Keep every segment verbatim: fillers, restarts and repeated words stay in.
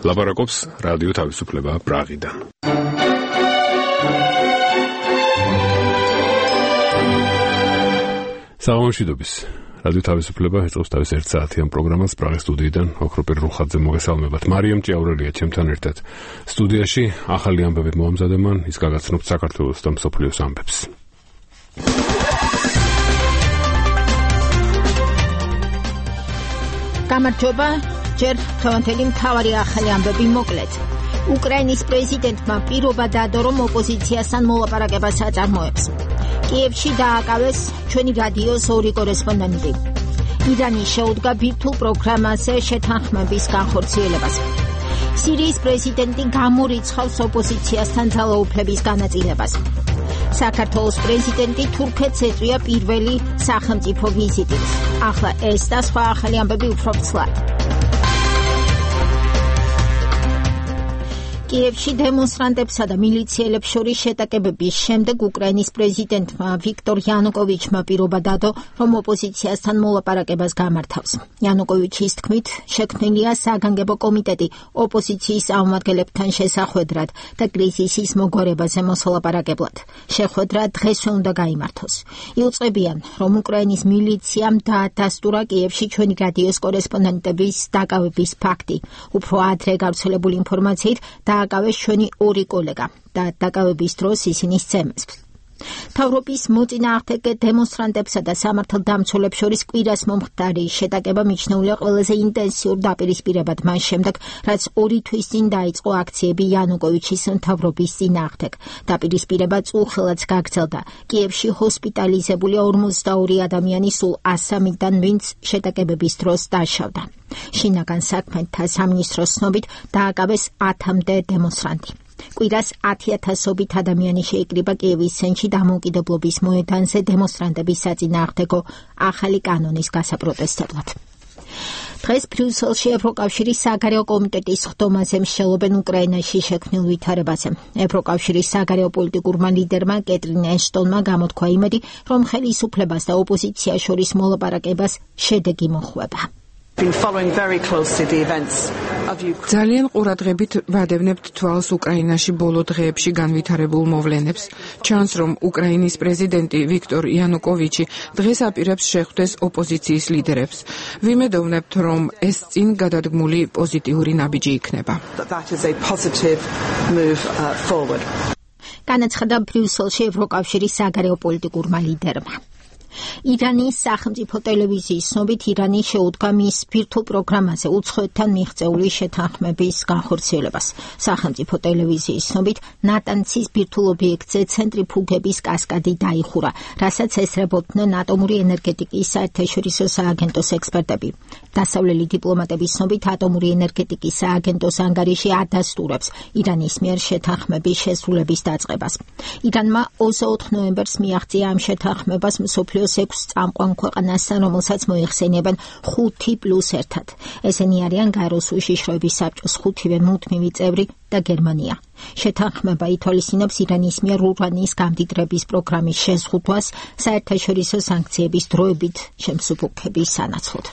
ლაპარაკობს რადიო თავისუფლება პრაღიდან. საღამოშვიდობის. რადიო თავისუფლება ეწყობს თავის ერთ საათიან პროგრამას პრაღის სტუდიიდან. ოქროპირ რუხაძე მოგესალმებათ. მარიამ ჭიაურელია ჩემთან ერთად სტუდიაში. ახალი ამბები მოამზადებან, ის გაგაცნობთ საქართველოს და მსოფლიოს ამბებს. გამარჯობა, ჯერ თვანთელი მთავარი ახალი ამბები მოკლედ. უკრაინის პრეზიდენტმა პირობა დადო, რომ ოპოზიციასთან მოლაპარაკებას აწარმოებს. კიევში დააკავეს ჩვენი რადიოს ორი კორესპონდენტი. ირანი შეუდგა ბირთვულ პროგრამაზე შეთანხმების განხორციელებას. სირიის პრეზიდენტი გამორიცხავს ოპოზიციასთან ძალაუფლების განაწილებას. საქართველოს პრეზიდენტი თურქეთს ეწვია პირველი სახელმწიფო ვიზიტით. ახლა ეს და სხვა ახალი ამბები უფრო ცლად. კიევში დემონსტრანტებსა და მილიციელებს შორის შეტაკებების შემდეგ უკრაინის პრეზიდენტმა ვიქტორ იანუკოვიჩმა პირობა დადო, რომ ოპოზიციასთან მოლაპარაკებას გამართავს. იანუკოვიჩის თქმით, შექმნილია საგანგებო კომიტეტი ოპოზიციის წარმომადგენლებთან შესახვედრად და კრიზისის მოგვარებაზე მოსალაპარაკებლად. შეხვედრა დღესვე უნდა გაიმართოს. იუწყებიან, რომ უკრაინის მილიციამ დაადასტურა კიევში ჩვენი რადიოს კორესპონდენტების დაკავების ფაქტი. უფრო ადრე გავრცელებული ინფორმაციით დააკავეს ჩვენი ორი კოლეგა და დაკავების დროს ისინი სცემეს. მთავრობის მოწინააღმდეგე დემონსტრანტებსა და სამართალდამცველებს შორის კვირას მომხდარი შეტაკება მიჩნეულია ყველაზე ინტენსიურ დაპირისპირებად მას შემდეგ, რაც ორი თვის წინ დაიწყო აქციები იანუკოვიჩის მთავრობის წინააღმდეგ. დაპირისპირება წუხელაც გაგრძელდა. კიევში ჰოსპიტალიზებული ორმოცდაორი ადამიანი სულ ასამიდან, ვინც შეტაკებების დროს დაშავდა. შინაგან საქმეთა სამინისტროს ცნობით დააკავეს ათამდე დემონსტრანტი. კვირას ათი ათასობით ადამიანი შეიკრიბა კიევის ცენტრში დამოუკიდებლობის მოედანზე დემონსტრანტების საწინააღმდეგო ახალი კანონის გასაპროტესტებლად. დღეს ბრიუსელში ევროკავშირის საგარეო კომიტეტის ხდომაზე მსჯელობენ უკრაინაში შექმნილ ვითარებაზე. ევროკავშირის საგარეო პოლიტიკურმა ლიდერმა კეტრინ ეშტონმა გამოთქვა იმედი, რომ ხელისუფლებას და ოპოზიციას შორის მოლაპარაკებას შედეგი მოხვება. ძალიან ყურადღებით ვადევნებთ თვალს უკრაინაში ბოლო დღეებში განვითარებულ მოვლენებს. ჩანს, რომ უკრაინის პრეზიდენტი ვიქტორ იანუკოვიჩი დღეს აპირებს შეხვდეს ოპოზიციის ლიდერებს. ვიმედოვნებთ, რომ ეს წინ გადადგმული პოზიტიური ნაბიჯი იქნება. განაცხადა ბრიუსელში ევროკავშირის საგარეო პოლიტიკურმა ლიდერმა. ირანის სახელმწიფო ტელევიზიის ცნობით, ირანი შეუდგა მის ბირთვულ პროგრამაზე უცხოეთთან მიღწეული შეთანხმების განხორციელებას. სახელმწიფო ტელევიზიის ცნობით, ნატანცის ბირთვულ ობიექტზე ცენტრიფუგების კასკადი დაიხურა, რასაც ესწრებოდნენ ატომური ენერგეტიკის საერთაშორისო სააგენტოს ექსპერტები. დასავლელი დიპლომატების ცნობით, ატომური ენერგეტიკის სააგენტოს ანგარიში ადასტურებს ირანის მიერ შეთანხმების შესრულების დაწყებას. ირანმა ოცდაოთხ ნოემბერს მიაღწია ამ შეთანხმებას მსოფლიოს ექვს წამყვან ქვეყანასთან, რომელსაც მოიხსენიებენ ხუთი პლუს ერთად. ესენი არიან გაეროს უშიშროების საბჭოს ხუთივე მუდმივი წევრი და გერმანია. შეთანხმება ითვალისწინებს ირანის მიერ ურანის გამდიდრების პროგრამის შეზღუდვას საერთაშორისო სანქციების დროებით შემსუბუქების სანაცვლოდ.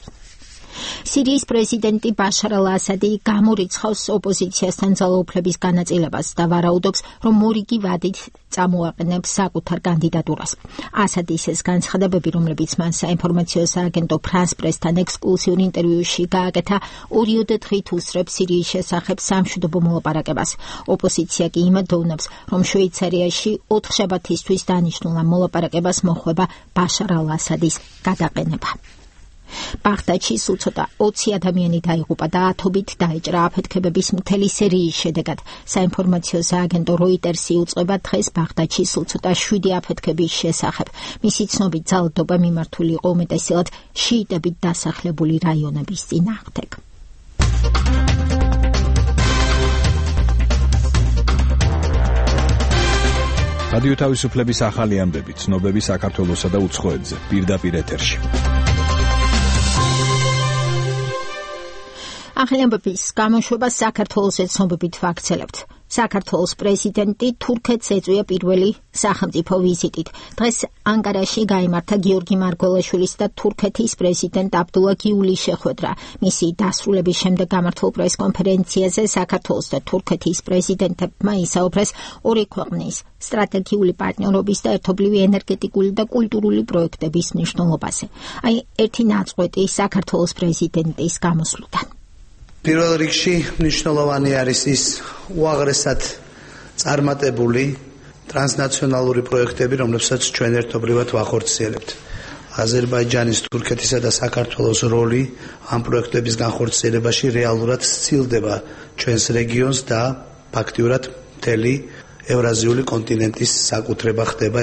სირიის პრეზიდენტი ბაშარ ალ-ასადი გამორიცხავს ოპოზიციასთან ძალაუფლების განაწილებას და ვარაუდობს, რომ მორიგი ვადით წამოაყენებს საკუთარ კანდიდატურას. ასადის ეს განცხადებები, რომლებიც მან საინფორმაციო სააგენტო ფრანს პრესთან ექსკლუზიურ ინტერვიუში გააკეთა, ორიოდე დღით უსწრებს სირიის შესახებ სამშვიდობო მოლაპარაკებას. ოპოზიცია კი იმედოვნებს, რომ შვეიცარიაში ოთხშაბათისთვის დანიშნულ ამ მოლაპარაკებას მოხვება ბაშარ ალ-ასადის გადაყენება. ბაღდადში სულ ცოტა ოცი ადამიანი დაიღუპა და ათობით დაეჭრა აფეთქებების მთელი სერიის შედეგად. საინფორმაციო სააგენტო როიტერსი უწყება დღეს ბაღდადში სულ ცოტა შვიდი აფეთქების შესახებ. მისი ცნობით ძალადობა მიმართული იყო უმეტესად შიიტებით დასახლებული რაიონების წინააღმდეგ. რადიო თავისუფლების ახალი ამბები, ცნობები საქართველოსა და უცხოეთზე, პირდაპირ ეთერში. ახალი ამბების გამოშვებას საქართველოს ცნობებით ვაქცელებთ. საქართველოს პრეზიდენტი თურქეთს ეწვია პირველი სახელმწიფო ვიზიტით. დღეს ანკარაში გაიმართა გიორგი მარგველაშვილის და თურქეთის პრეზიდენტ აბდულა გიულის შეხვედრა. მისი დასრულების შემდეგ გამართულ პრესკონფერენციაზე საქართველოს და თურქეთის პრეზიდენტებმა ისაუბრეს ორი ქვეყნის სტრატეგიული პარტნიორობის და ერთობლივი ენერგეტიკული და კულტურული პროექტების მნიშვნელობაზე. აი, ერთი ნაწყვეტი საქართველოს პრეზიდენტის გამოსვლიდან. პირველ რიგში მნიშვნელოვანი არის ის უაღრესად წარმატებული ტრანსნაციონალური პროექტები, რომლებსაც ჩვენ ერთობლივად ვახორციელებთ. აზერბაიჯანის, თურქეთისა და საქართველოს როლი ამ პროექტების განხორციელებაში რეალურად სცილდება ჩვენს რეგიონს და ფაქტიურად მთელი ევრაზიული კონტინენტის საკუთრება ხდება.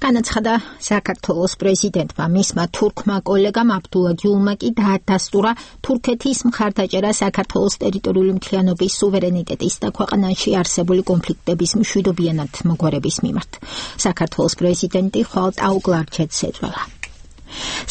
განაცხადა საქართველოს პრეზიდენტმა. მისმა თურქმა კოლეგამ აბდულა გიულმა კი დაადასტურა თურქეთის მხარდაჭერა საქართველოს ტერიტორიული მთლიანობის სუვერენიტეტის და ქვეყანაში არსებული კონფლიქტების მშვიდობიანად მოგვარების მიმართ. საქართველოს პრეზიდენტი ხვალ ტაუკლარჩეთს ეწვევა.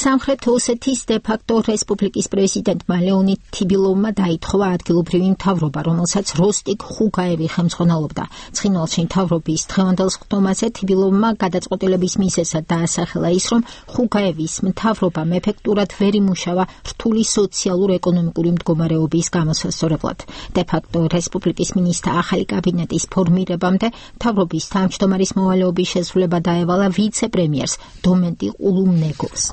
სამხრეთ ოსეთის დე-ფაქტო რესპუბლიკის პრეზიდენტმა ლეონიდ თიბილოვმა დაითხოვა ადგილობრივი მთავრობა, რომელსაც როსტიკ ხუგაევი ხელმძღვანელობდა. ცხინვალში მთავრობის დღევანდელ სხდომაზე თიბილოვმა გადაწყვეტილების მიზეზად დაასახელა ის, რომ ხუგაევის მთავრობამ ეფექტურად ვერ იმუშავა რთული სოციალურ-ეკონომიკური მდგომარეობის გამოსასწორებლად. დე-ფაქტო რესპუბლიკის მინისტრთა ახალი კაბინეტის ფორმირებამდე მთავრობის თავმჯდომარის მოვალეობის შესრულება დაევალა ვიცე-პრემიერს დომენტი ყულუმნეგოს.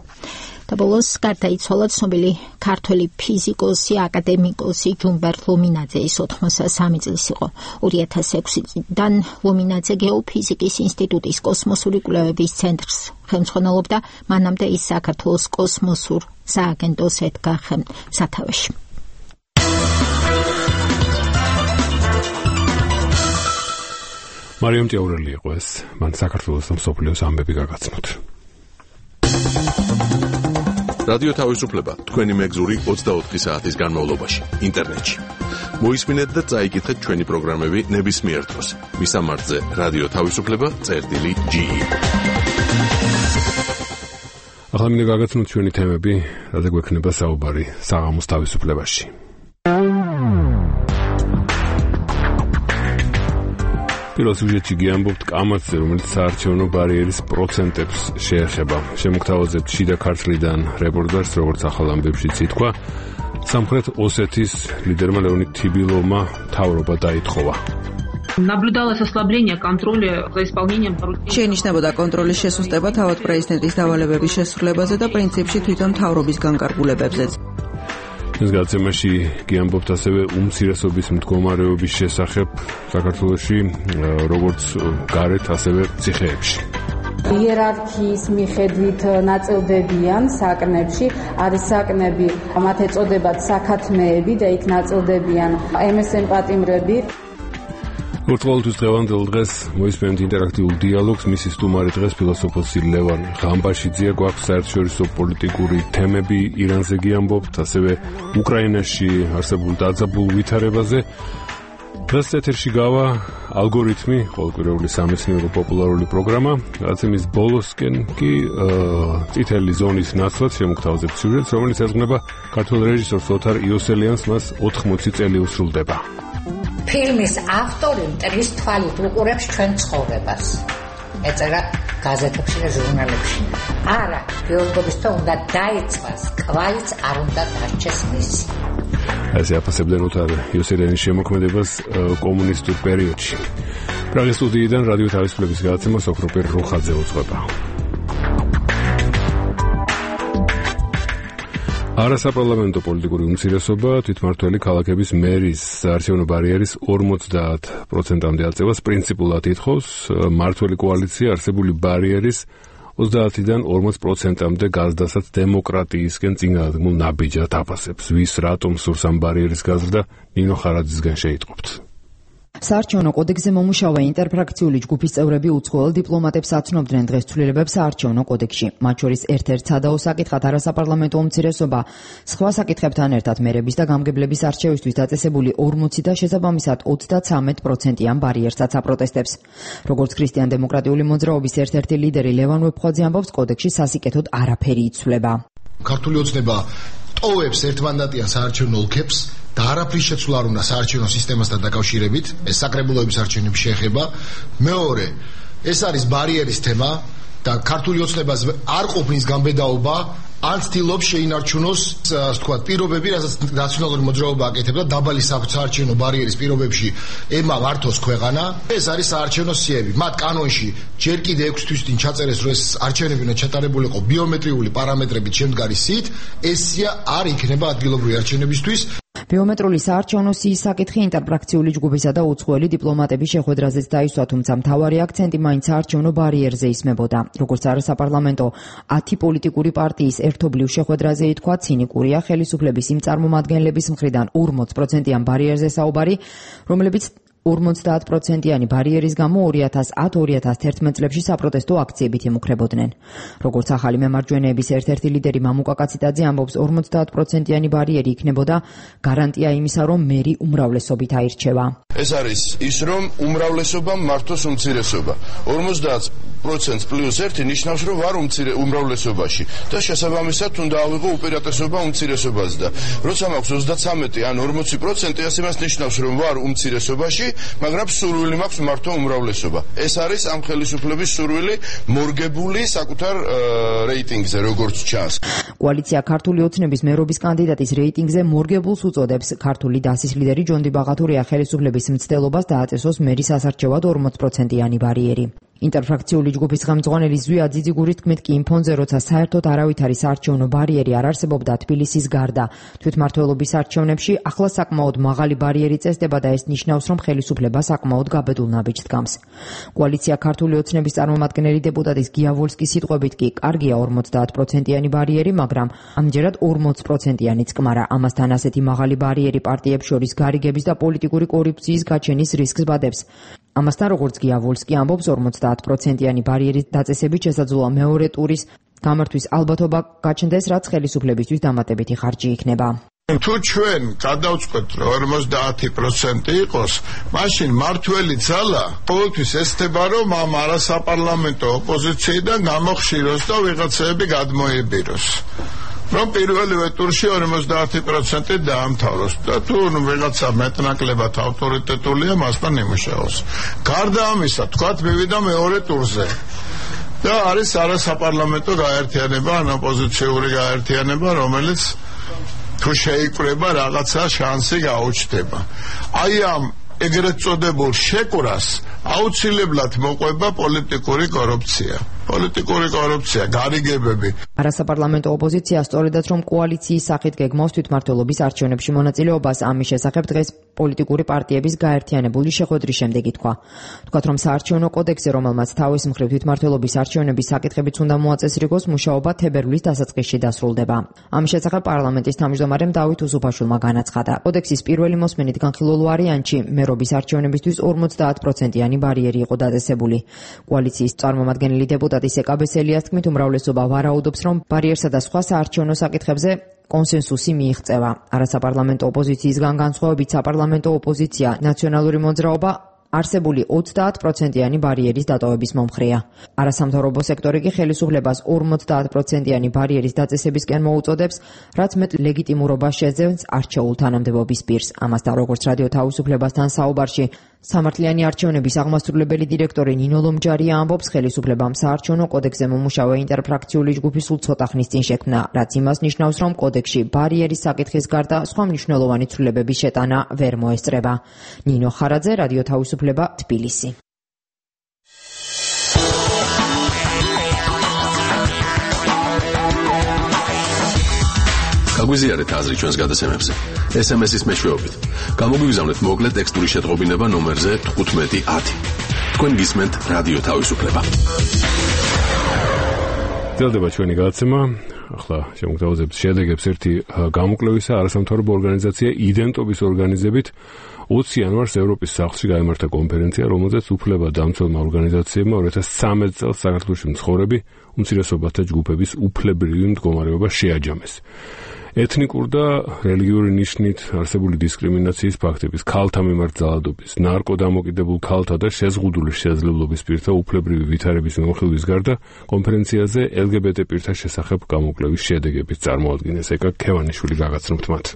და ბოლოს გარდაიცვალა ცნობილი ქართველი ფიზიკოსი, აკადემიკოსი ჯუმბერ ლომინაძე. ის ოთხმოცდასამი წლის იყო. ორი ათას ექვსი წლიდან ლომინაძე გეოფიზიკის ინსტიტუტის კოსმოსური კვლევების ცენტრს ხელმძღვანელობდა. მანამდე ის საქართველოს კოსმოსურ სააგენტოს ედგა სათავეში. მარიამ ჭიაურელი იყო ეს. მან საქართველოს და მსოფლიოს ამბები გაგაცნოთ. რადიო თავისუფლება თქვენი მეგზური ოცდაოთხი საათის განმავლობაში ინტერნეტში. მოისმინეთ და წაიკითხეთ ჩვენი პროგრამები ნებისმიერ დროს. მისამართზე რადიო თავისუფლება წერტილი ჯი. ახლა მინდა გაგაცნოთ ჩვენი თემები, რაზე გვექნება საუბარი საღამოს თავისუფლებაში. პირველ სიუჟეტში გიამბობთ კამათზე, რომელიც საარჩევნო ბარიერის პროცენტებს შეეხება. შემოგთავაზებთ შიდა ქართლიდან რეპორტაჟს, როგორც ახალ ამბებშიც ითქვა. სამხრეთ ოსეთის ლიდერმა ლეონიდ თიბილოვმა მთავრობა დაითხოვა. Наблюдалось ослабление контроля за исполнением поручений. შეინიშნებოდა კონტროლის შესუსტება თავად პრეზიდენტის დავალებების შესრულებაზე და პრინციპში თვითონ მთავრობის განკარგულებებზეც. ეს გაცემაში გიამბობთ ასევე უმცირესობის მდგომარეობის შესახებ საქართველოში, როგორც გარეთ, ასევე ციხეებში. იერარქიის მიხედვით ნაწილდებიან საკნებში, არის საკნები, მათ ეწოდებათ საქათმეები და იქ ნაწილდებიან ემ ეს ემ პატიმრები. ორთვალთვის დღევანდელ დღეს მოისმენთ ინტერაქტიულ დიალოგს. მისი სტუმარი დღეს ფილოსოფოსი ლევან ღამბაშიძეა. გვაქვს საერთაშორისო პოლიტიკური თემები, ირანზე გიამბობთ, ასევე უკრაინაში არსებულ დაძაბულ ვითარებაზე. დღეს ეთერში გავა ალგორითმი, ყოველკვირეული სამეცნიერო პოპულარული პროგრამა. რაცემის ბოლოსკენ კი წითელი ზონის ნაცვლად შემოგთავაზებთ სიუჟეტს, რომელიც ეძღვნება ქართველ რეჟისორს ოთარ იოსელიანს, მას ოთხმოცი წელი უსრულდება. ფილმის ავტორი მტრის თვალით უყურებს ჩვენ ცხოვრებას. ეწერა გაზეთებში და ჟურნალებში. არა, ბიოლოგებისთვის უნდა დაიწყოს, კვალიც არ უნდა დარჩეს მისი. ასე აფასებდნენ ოთარ იოსელიანის შემოქმედებას კომუნისტურ პერიოდში. პრაღის სტუდიიდან რადიო თავისუფლების გადაცემა ოქროპერ რუხაძე უძღვება. არასაპარლამენტო პოლიტიკური უმცირესობა თვითმმართველი ქალაქების მერის საარჩევნო ბარიერის ორმოცდაათ პროცენტამდე აწევას პრინციპულად ითხოვს. მმართველი კოალიცია არსებული ბარიერის ოცდაათიდან ორმოც პროცენტამდე გაზრდასაც დემოკრატიისკენ წინააღმულ ნაბიჯად აფასებს. ვის რატომ სურს ამ ბარიერის გაზრდა, ნინო ხარაძისგან შეიტყობთ. საარჩევნო კოდექსზე მომუშავე ინტერფრაქციული ჯგუფის წევრები უცხოელ დიპლომატებს აცნობდნენ დღეს ცვლილებებს საარჩევნო კოდექსში. მათ შორის ერთ-ერთ სადაო საკითხად არასაპარლამენტო უმცირესობა სხვა საკითხებთან ერთად მერების და გამგებლების არჩევისთვის დაწესებული ორმოცი და შესაბამისად ოცდათვრამეტ პროცენტიან ბარიერსაც აპროტესტებს. როგორც ქრისტიან-დემოკრატიული მოძრაობის ერთ-ერთი ლიდერი ლევან ვეფხვაძე ამბობს, კოდექსში სასიკეთოდ არაფერი იცვლება. ქართული ოცნება ტოვებს ერთმანდატიან საარჩევნო ოლქებს და არაფრის შეცვლა არ უნდა საარჩევნო სისტემასთან დაკავშირებით, ეს საკრებულოების არჩევნებს შეეხება. მეორე, ეს არის ბარიერის თემა და ქართული ოცნებას არ ყოფნის გამბედაობა ან ცდილობს შეინარჩუნოს, ასე ვთქვათ, პირობები, რასაც ნაციონალური მოძრაობა აკეთებდა დაბალი საარჩევნო ბარიერის პირობებში ემა მართოს ქვეყანა. ეს არის საარჩევნო სიები. მათ კანონში ჯერ კიდე ექვსი თვის წინ ჩაწერეს, რომ ეს არჩევნები უნდა ჩატარებულიყო ბიომეტრიული პარამეტრებით შემდგარი სიით, ეს სია არ იქნება ადგილობრივი არჩევნებისთვის. ბიომეტრიული საარჩევნო სიის საკითხი ინტერფრაქციული ჯგუფისა და უცხოელი დიპლომატების შეხვედრაზეც დაისვა, თუმცა მთავარი აქცენტი მაინც საარჩევნო ბარიერზე ისმებოდა. როგორც არასაპარლამენტო ათი პოლიტიკური პარტიის ერთობლივ შეხვედრაზე ითქვა, ცინიკურია ხელისუფლების იმ წარმომადგენლების მხრიდან ორმოც პროცენტიან ბარიერზე საუბარი, რომლებიც ორმოცდაათ პროცენტიანი ბარიერის გამო ორი ათას ათ ორი ათას თერთმეტ წლებში საპროტესტო აქციებით იმუქრებოდნენ. როგორც ახალი მემარჯვენეების ერთ-ერთი ლიდერი მამუკა კაციტაძე ამბობს, ორმოცდაათ პროცენტიანი ბარიერი იქნებოდა გარანტია იმისა, რომ მერი უმრავლესობით აირჩევა. ეს არის ის, რომ უმრავლესობა მართოს უმცირესობა. ორმოცდაათ პროცენტს პლუს ერთი ნიშნავს, რომ ვარ უმრავლესობაში და შესაბამისად უნდა ავიღო უპირატესობა უმცირესობაზე და როცა მაქვს ოცდაცამეტი ან ორმოცი პროცენტი, ასე მას ნიშნავს, რომ ვარ უმცირესობაში, მაგრამ სურვილი მაქვს მართო უმრავლესობა. ეს არის ამ ხელისუფლების სურვილი მორგებული საკუთარ რეიტინგზე, როგორც ჩანს. კოალიცია ქართული ოცნების მერობის კანდიდატის რეიტინგზე მორგებულს უწოდებს. ქართული დასის ლიდერი ჯონ დიბაღათურია ხელისუფლების მცდელობას დააწესოს მერის ასარჩევად ორმოც პროცენტიანი ბარიერი. ინტერფრაქციული ჯგუფის ხელმძღვანელი ზვია ძიძიგურის თქმით კი იმ ფონზე, როცა საერთოდ არავითარი საარჩევნო ბარიერი არ არსებობდა თბილისის გარდა თვითმმართველობის არჩევნებში, ახლა საკმაოდ მაღალი ბარიერი წესდება და ეს ნიშნავს, რომ ხელისუფლება საკმაოდ გაბედულ ნაბიჯს დგამს. კოალიცია ქართული ოცნების წარმომადგენელი დეპუტატის გია ვოლსკის სიტყვებით კი კარგია ორმოცდაათ პროცენტიანი ბარიერი, მაგრამ ამჯერად ორმოც პროცენტიანიც კმარა. ამასთან ასეთი მაღალი ბარიერი პარტიებს შორის გარიგების და პოლიტიკური კორუფციის გაჩენის რისკს ბადებს. ამასთან, როგორც გია ვოლსკი ამბობს, ორმოცდაათ პროცენტიანი ბარიერის დაწესებით შესაძლოა მეორე ტურის გამართვის ალბათობა გაჩნდეს, რაც ხელისუფლებისთვის დამატებითი ხარჯი იქნება. თუ ჩვენ გადავწყვეტ, რომ ორმოცდაათი პროცენტი იყოს, მაშინ მართველი ძალა ყოველთვის ესწრება, რომ ამ არასაპარლამენტო ოპოზიციიდან გამოხშიროს და ვიღაცები გადმოებიროს. რომ პირველივე ტურში ორმოცდაათი პროცენტი დაამთავროს და თუ ვიღაცა მეტნაკლებად ავტორიტეტულია, მასთან იმუშაოს. გარდა ამისა, თქვათ მივიდა მეორე ტურზე და არის არასაპარლამენტო გაერთიანება, ან ოპოზიციური გაერთიანება, რომელიც თუ შეიკრება რაღაცა შანსი გაუჩნდება. აი ამ ეგრეთ წოდებულ შეკვრას აუცილებლად მოყვება პოლიტიკური კორუფცია. პოლიტიკური კორუფცია, გარიგებები. არასაპარლამენტო ოპოზიცია სწორედაც რომ კოალიციის სახით გეგმავს თვითმმართველობის არჩევნებში მონაწილეობას, ამის შესახებ დღეს პოლიტიკური პარტიების გაერთიანებული შეხვედრის შემდეგ ითქვა. თქვათ, რომ საარჩევნო კოდექსზე, რომელმაც თავის მხრივ თვითმმართველობის არჩევნების საკითხებიც უნდა მოაწესრიგოს, მუშაობა თებერვლის დასაწყისში დასრულდება. ამის შესახებ პარლამენტის თავმჯდომარემ დავით უსუფაშვილმა განაცხადა. კოდექსის პირველი მოსმენით განხილულ ვარიანტში მერობის არჩევნებისთვის ორმოცდაათ პროცენტიანი ბარიერი იყო დაწესებული. კოალიციის წარმომადგენელი დეპუტატი ეკაბესელიას თქმით, უმრავლესობა ვარაუდობს, რომ ბარიერსა და სხვა საარჩევნო საკითხებზე კონსენსუსი მიიღწევა. არასაპარლამენტო ოპოზიციისგან განსხვავებით საპარლამენტო ოპოზიცია ნაციონალური მოძრაობა არსებული ოცდაათ პროცენტიანი ბარიერის დატოვების მომხრეა. არასამთავრობო სექტორი კი ხელისუფლებას ორმოცდაათ პროცენტიანი ბარიერის დაწესებისკენ მოუწოდებს, რაც მეტ ლეგიტიმურობას შეძენს არჩეულ თანამდებობის პირს. ამასთან, როგორც რადიო თავისუფლებასთან საუბარში სამართლიანი არჩევნების აღმასრულებელი დირექტორი ნინო ლომჯარია ამბობს, ხელისუფლებამ საარჩევნო კოდექსზე მომუშავე ინტერფრაქციული ჯგუფი სულ ცოტა ხნის წინ შექმნა, რაც იმას ნიშნავს, რომ კოდექსში ბარიერის საკითხის გარდა სხვა მნიშვნელოვანი ცვლილებების შეტანა ვერ მოესწრება. ნინო ხარაძე, რადიო თავისუფლება, თბილისი. გაგვიზიარეთ აზრი ჩვენს გადაცემებზე. ეს ემ ეს-ის მეშვეობით. გამოგვიგზავნეთ მოკლე ტექსტური შეტყობინება ნომერზე თხუთმეტი ათი. თქვენ გისმენთ რადიო თავისუფლება. გრძელდება ჩვენი გადაცემა. ახლა შემოგთავაზებთ შედეგებს ერთი გამოკვლევისა არასამთავრობო ორგანიზაცია იდენტობის ორგანიზებით ოცი იანვარს ევროპის სახლში გაიმართა კონფერენცია, რომელზეც უფლებადამცველმა ორგანიზაციებმა ორი ათას ცხრამეტ წელს საქართველოში მცხოვრები უმცირესობათა ჯგუფების უფლებრივი მდგომარეობა შეაჯამეს. ეთნიკურ და რელიგიური ნიშნით არსებული დისკრიმინაციის ფაქტების, ქალთა მიმართ ძალადობის, ნარკოდამოკიდებულ ქალთა და შეზღუდული შესაძლებლობის პირთა უფლებრივი ვითარების მიმოხილვის გარდა კონფერენციაზე ელ გი ბი ტე პირთა შესახებ გამოკვლევის შედეგებიც წარმოადგენეს. ეკა ქევანიშვილი გაგაცნობთ მათ.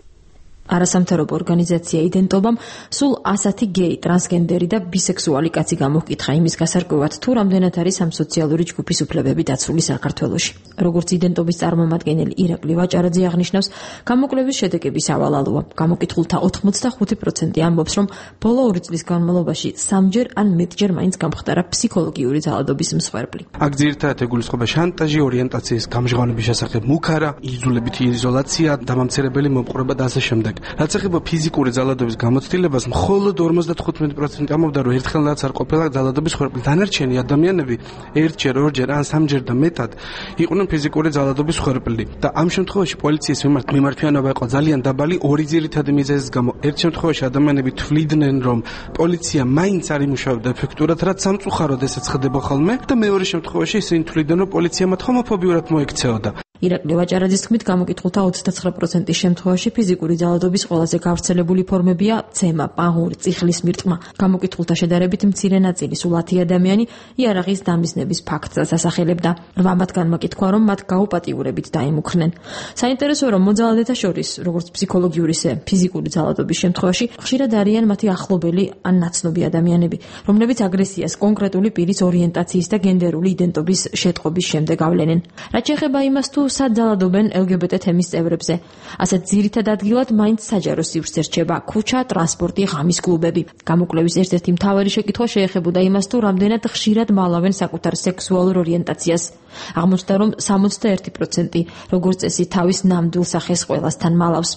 არასამთავრობო ორგანიზაცია იდენტობამ სულ ასათი გეი, ტრანსგენდერი და ბისექსუალი კაცი გამოვკითხა იმის გასარკვევად, თუ რამდენად არის ამ სოციალური ჯგუფის უფლებები დაცული საქართველოში. როგორც იდენტობის წარმომადგენელი ირაკლი ვაჭარაძე აღნიშნავს, გამოკვლევის შედეგები სავალალოა. გამოკითხულთა ოთხმოცდახუთი პროცენტი ამბობს, რომ ბოლო ორი წლის განმავლობაში სამჯერ ან მეტჯერ მაინც გამხდარა ფსიქოლოგიური ძალადობის მსხვერპლი. აქ ძირითადად ეგულისხმება შანტაჟი, ორიენტაციის გამჟღავნების შესახებ მუქარა, იძულებითი იზოლაცია, დამამცირებელი მომყურება და ასე შემდეგ. რაც ეხება ფიზიკური ძალადობის გამოცდილებას, მხოლოდ ორმოცდათხუთმეტი პროცენტი ამბობდა, რომ ერთხელაც არ ყოფილა ძალადობის მსხვერპლი. დანარჩენი ადამიანები ერთჯერ, ორჯერ ან სამჯერ და მეტად იყვნენ ფიზიკური ძალადობის მსხვერპლი. და ამ შემთხვევაში პოლიციის მიმართ მიმართვიანობა იყო ძალიან დაბალი ორი ძირითადი მიზეზის გამო. ერთ შემთხვევაში ადამიანები თვლიდნენ, რომ პოლიცია მაინც არ იმუშავებდა ეფექტურად, რაც სამწუხაროდ ესეც ხდება ხოლმე, და მეორე შემთხვევაში ისინი თვლიდნენ, რომ პოლიცია მათ ჰომოფობიურად მოექცეოდა. ირაკლი ვაჭარაძის თქმით, გამოკითხულთა ოცდაცხრა პროცენტის შემთხვევაში ფიზიკური ძალადობის ყველაზე გავრცელებული ფორმებია ცემა, პაღური, წიხლის მირტყმა. გამოკითხულთა შედარებით მცირე ნაწილი, სულ ათი ადამიანი, იარაღის დამიზნების ფაქტს ასახელებდა. რვა მათგანმა კითხვა, რომ მათ გაუპატიურებით დაიმუქრნენ. საინტერესოა, რომ მოძალადეთა შორის, როგორც ფსიქოლოგიური, ისე ფიზიკური ძალადობის შემთხვევაში, ხშირად არიან მათი ახლობელი ან ნაცნობი ადამიანები, რომლებიც აგრესიას კონკრეტული პირის ორიენტაციის და გენდერული იდენტობის შეტყობის შემდეგ ავლენენ. რაც შეეხება იმას, თუ სად ძალადობენ ელ გი ბი ტე თემის წევრებზე. ასეთ ძირითად ადგილად მაინც საჯარო სივრცე რჩება ქუჩა, ტრანსპორტი, ღამის კლუბები. გამოკვლევის ერთ-ერთი მთავარი შეკითხვა შეეხებოდა იმას, თუ რამდენად ხშირად მალავენ საკუთარ სექსუალურ ორიენტაციას. აღმოჩნდა, რომ სამოცდაერთი პროცენტი როგორც წესი თავის ნამდვილ სახეს ყველასთან მალავს.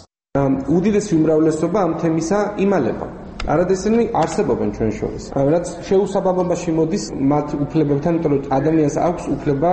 უდიდესი უმრავლესობა ამ თემისა იმალება. არადესენი არსებობენ ჩვენ შორის. რაც შეუსაბამობაში მოდის მათ უფლებებთან, იმიტომ რომ ადამიანს აქვს უფლება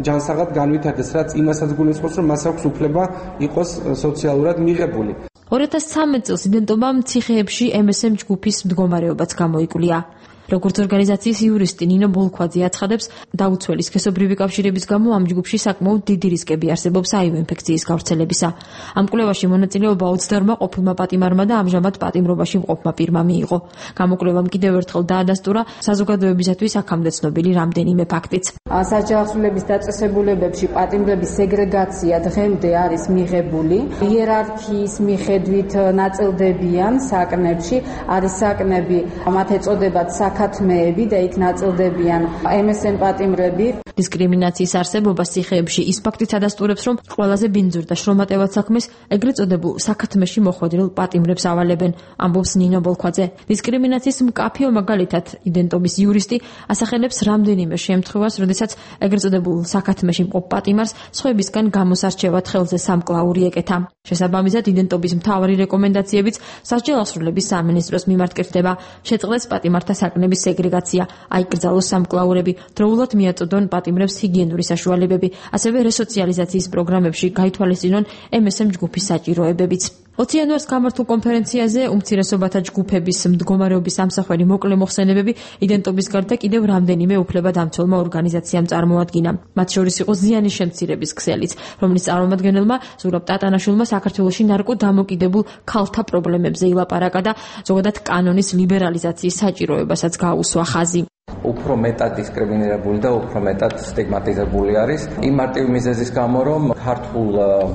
ჯანსაღად განვითარდეს, რაც იმასაც გულისხმობს, რომ მას აქვს უფლება იყოს სოციალურად მიღებული. ორი ათას ცხრამეტ წელს იდენტობამ ციხეებში ემ ეს ემ ჯგუფის მდგომარეობაც გამოიკვლია. როგორც ორგანიზაციის იურისტი ნინო ბოლქვაძე აცხადებს, დაუცველი სქესობრივი კავშირების გამო ამ ჯგუფში საკმაოდ დიდი რისკები არსებობს აივ ინფექციის გავრცელებისა. ამ კვლევაში მონაწილეობა ოცდაორმა ყოფილმა პატიმარმა და ამჟამად პატიმრობაში მყოფმა პირმა მიიღო. გამოკვლევამ კიდევ ერთხელ დაადასტურა საზოგადოებისათვის აქამდე ცნობილი რამდენიმე ფაქტიც. საჯარო დაწესებულებებში პატიმრების სეგრეგაცია დღემდე არის მიღებული. იერარქიის მიხედვით ნაწილდებიან საკნებში, არის საკნები, მათ ეწოდებათ საკათმეები და იქ ნაწილდებიან ემ ეს ემ პატიმრები. დისკრიმინაციის არსებობას ციხეებში ის ფაქტიც ადასტურებს, რომ ყველაზე ბინძურ და შრომატევად საქმეს ეგრეთ წოდებულ საკათმეში მოხვედრილ პატიმრებს ავალებენ, ამბობს ნინო ბოლქვაძე. დისკრიმინაციის მკაფიო მაგალითად იდენტობის იურისტი ასახელებს რამდენიმე შემთხვევას, როდესაც ეგრეთ წოდებულ საკათმეში მყოფ პატიმარს სხვებისგან გამოსარჩევად ხელზე სამკლაური ეკეთა. შესაბამისად, იდენტობის მთავარი რეკომენდაციებიც სასჯელ ასრულების სამინისტროს მიმართ კეთდება. შეწყდეს პატიმართა საკნების სეგრეგაცია, აიკრძალოს სამკლაურები, დროულად მიაწოდონ პატიმრებს ჰიგიენური საშუალებები, ასევე რესოციალიზაციის პროგრამებში გაითვალისწინონ ემ ეს ემ ჯგუფის საჭიროებებიც. ოცი იანვარს გამართულ კონფერენციაზე უმცირესობათა ჯგუფების მდგომარეობის ამსახველი მოკლე მოხსენებები იდენტობის გარდა კიდევ რამდენიმე უფლებადამცველმა ორგანიზაციამ წარმოადგინა. მათ შორის იყო ზიანის შემცირების ქსელიც, რომლის წარმომადგენელმა ზურაბ ტატანაშვილმა საქართველოში ნარკოდამოკიდებულ ქალთა პრობლემებზე ილაპარაკა და ზოგადად კანონის ლიბერალიზაციის საჭიროებასაც გაუსვა ხაზი. უფრო მეტად დისკრიმინირებული და უფრო მეტად სტიგმატიზებული არის იმ მარტივი მიზეზის გამო, რომ ქართულ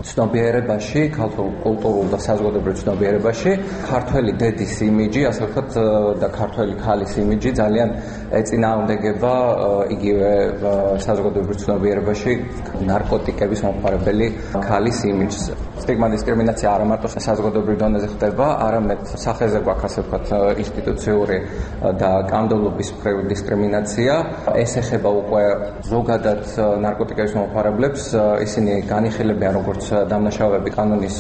ცნობიერებაში, ქართულ კულტურულ და საზოგადოებრივ ცნობიერებაში ქართველი დედის იმიჯი, ასე ვთქვათ, და ქართველი ქალის იმიჯი ძალიან ეწინააღმდეგება იგივე საზოგადოებრივ ცნობიერებაში ნარკოტიკების მომხმარებელი ქალის იმიჯს. სტიგმა დისკრიმინაცია არა მარტო საზოგადოებრივ დონეზე ხდება, არამედ სახეზე გვაქვს, ასე ვთქვათ, ინსტიტუციური და კანონმდებლობის მხრივ დისკრიმინაცია. ეს ეხება უკვე ზოგადად ნარკოტიკების მომხმარებლებს, ისინი განიხილებიან როგორც დამნაშავეები კანონის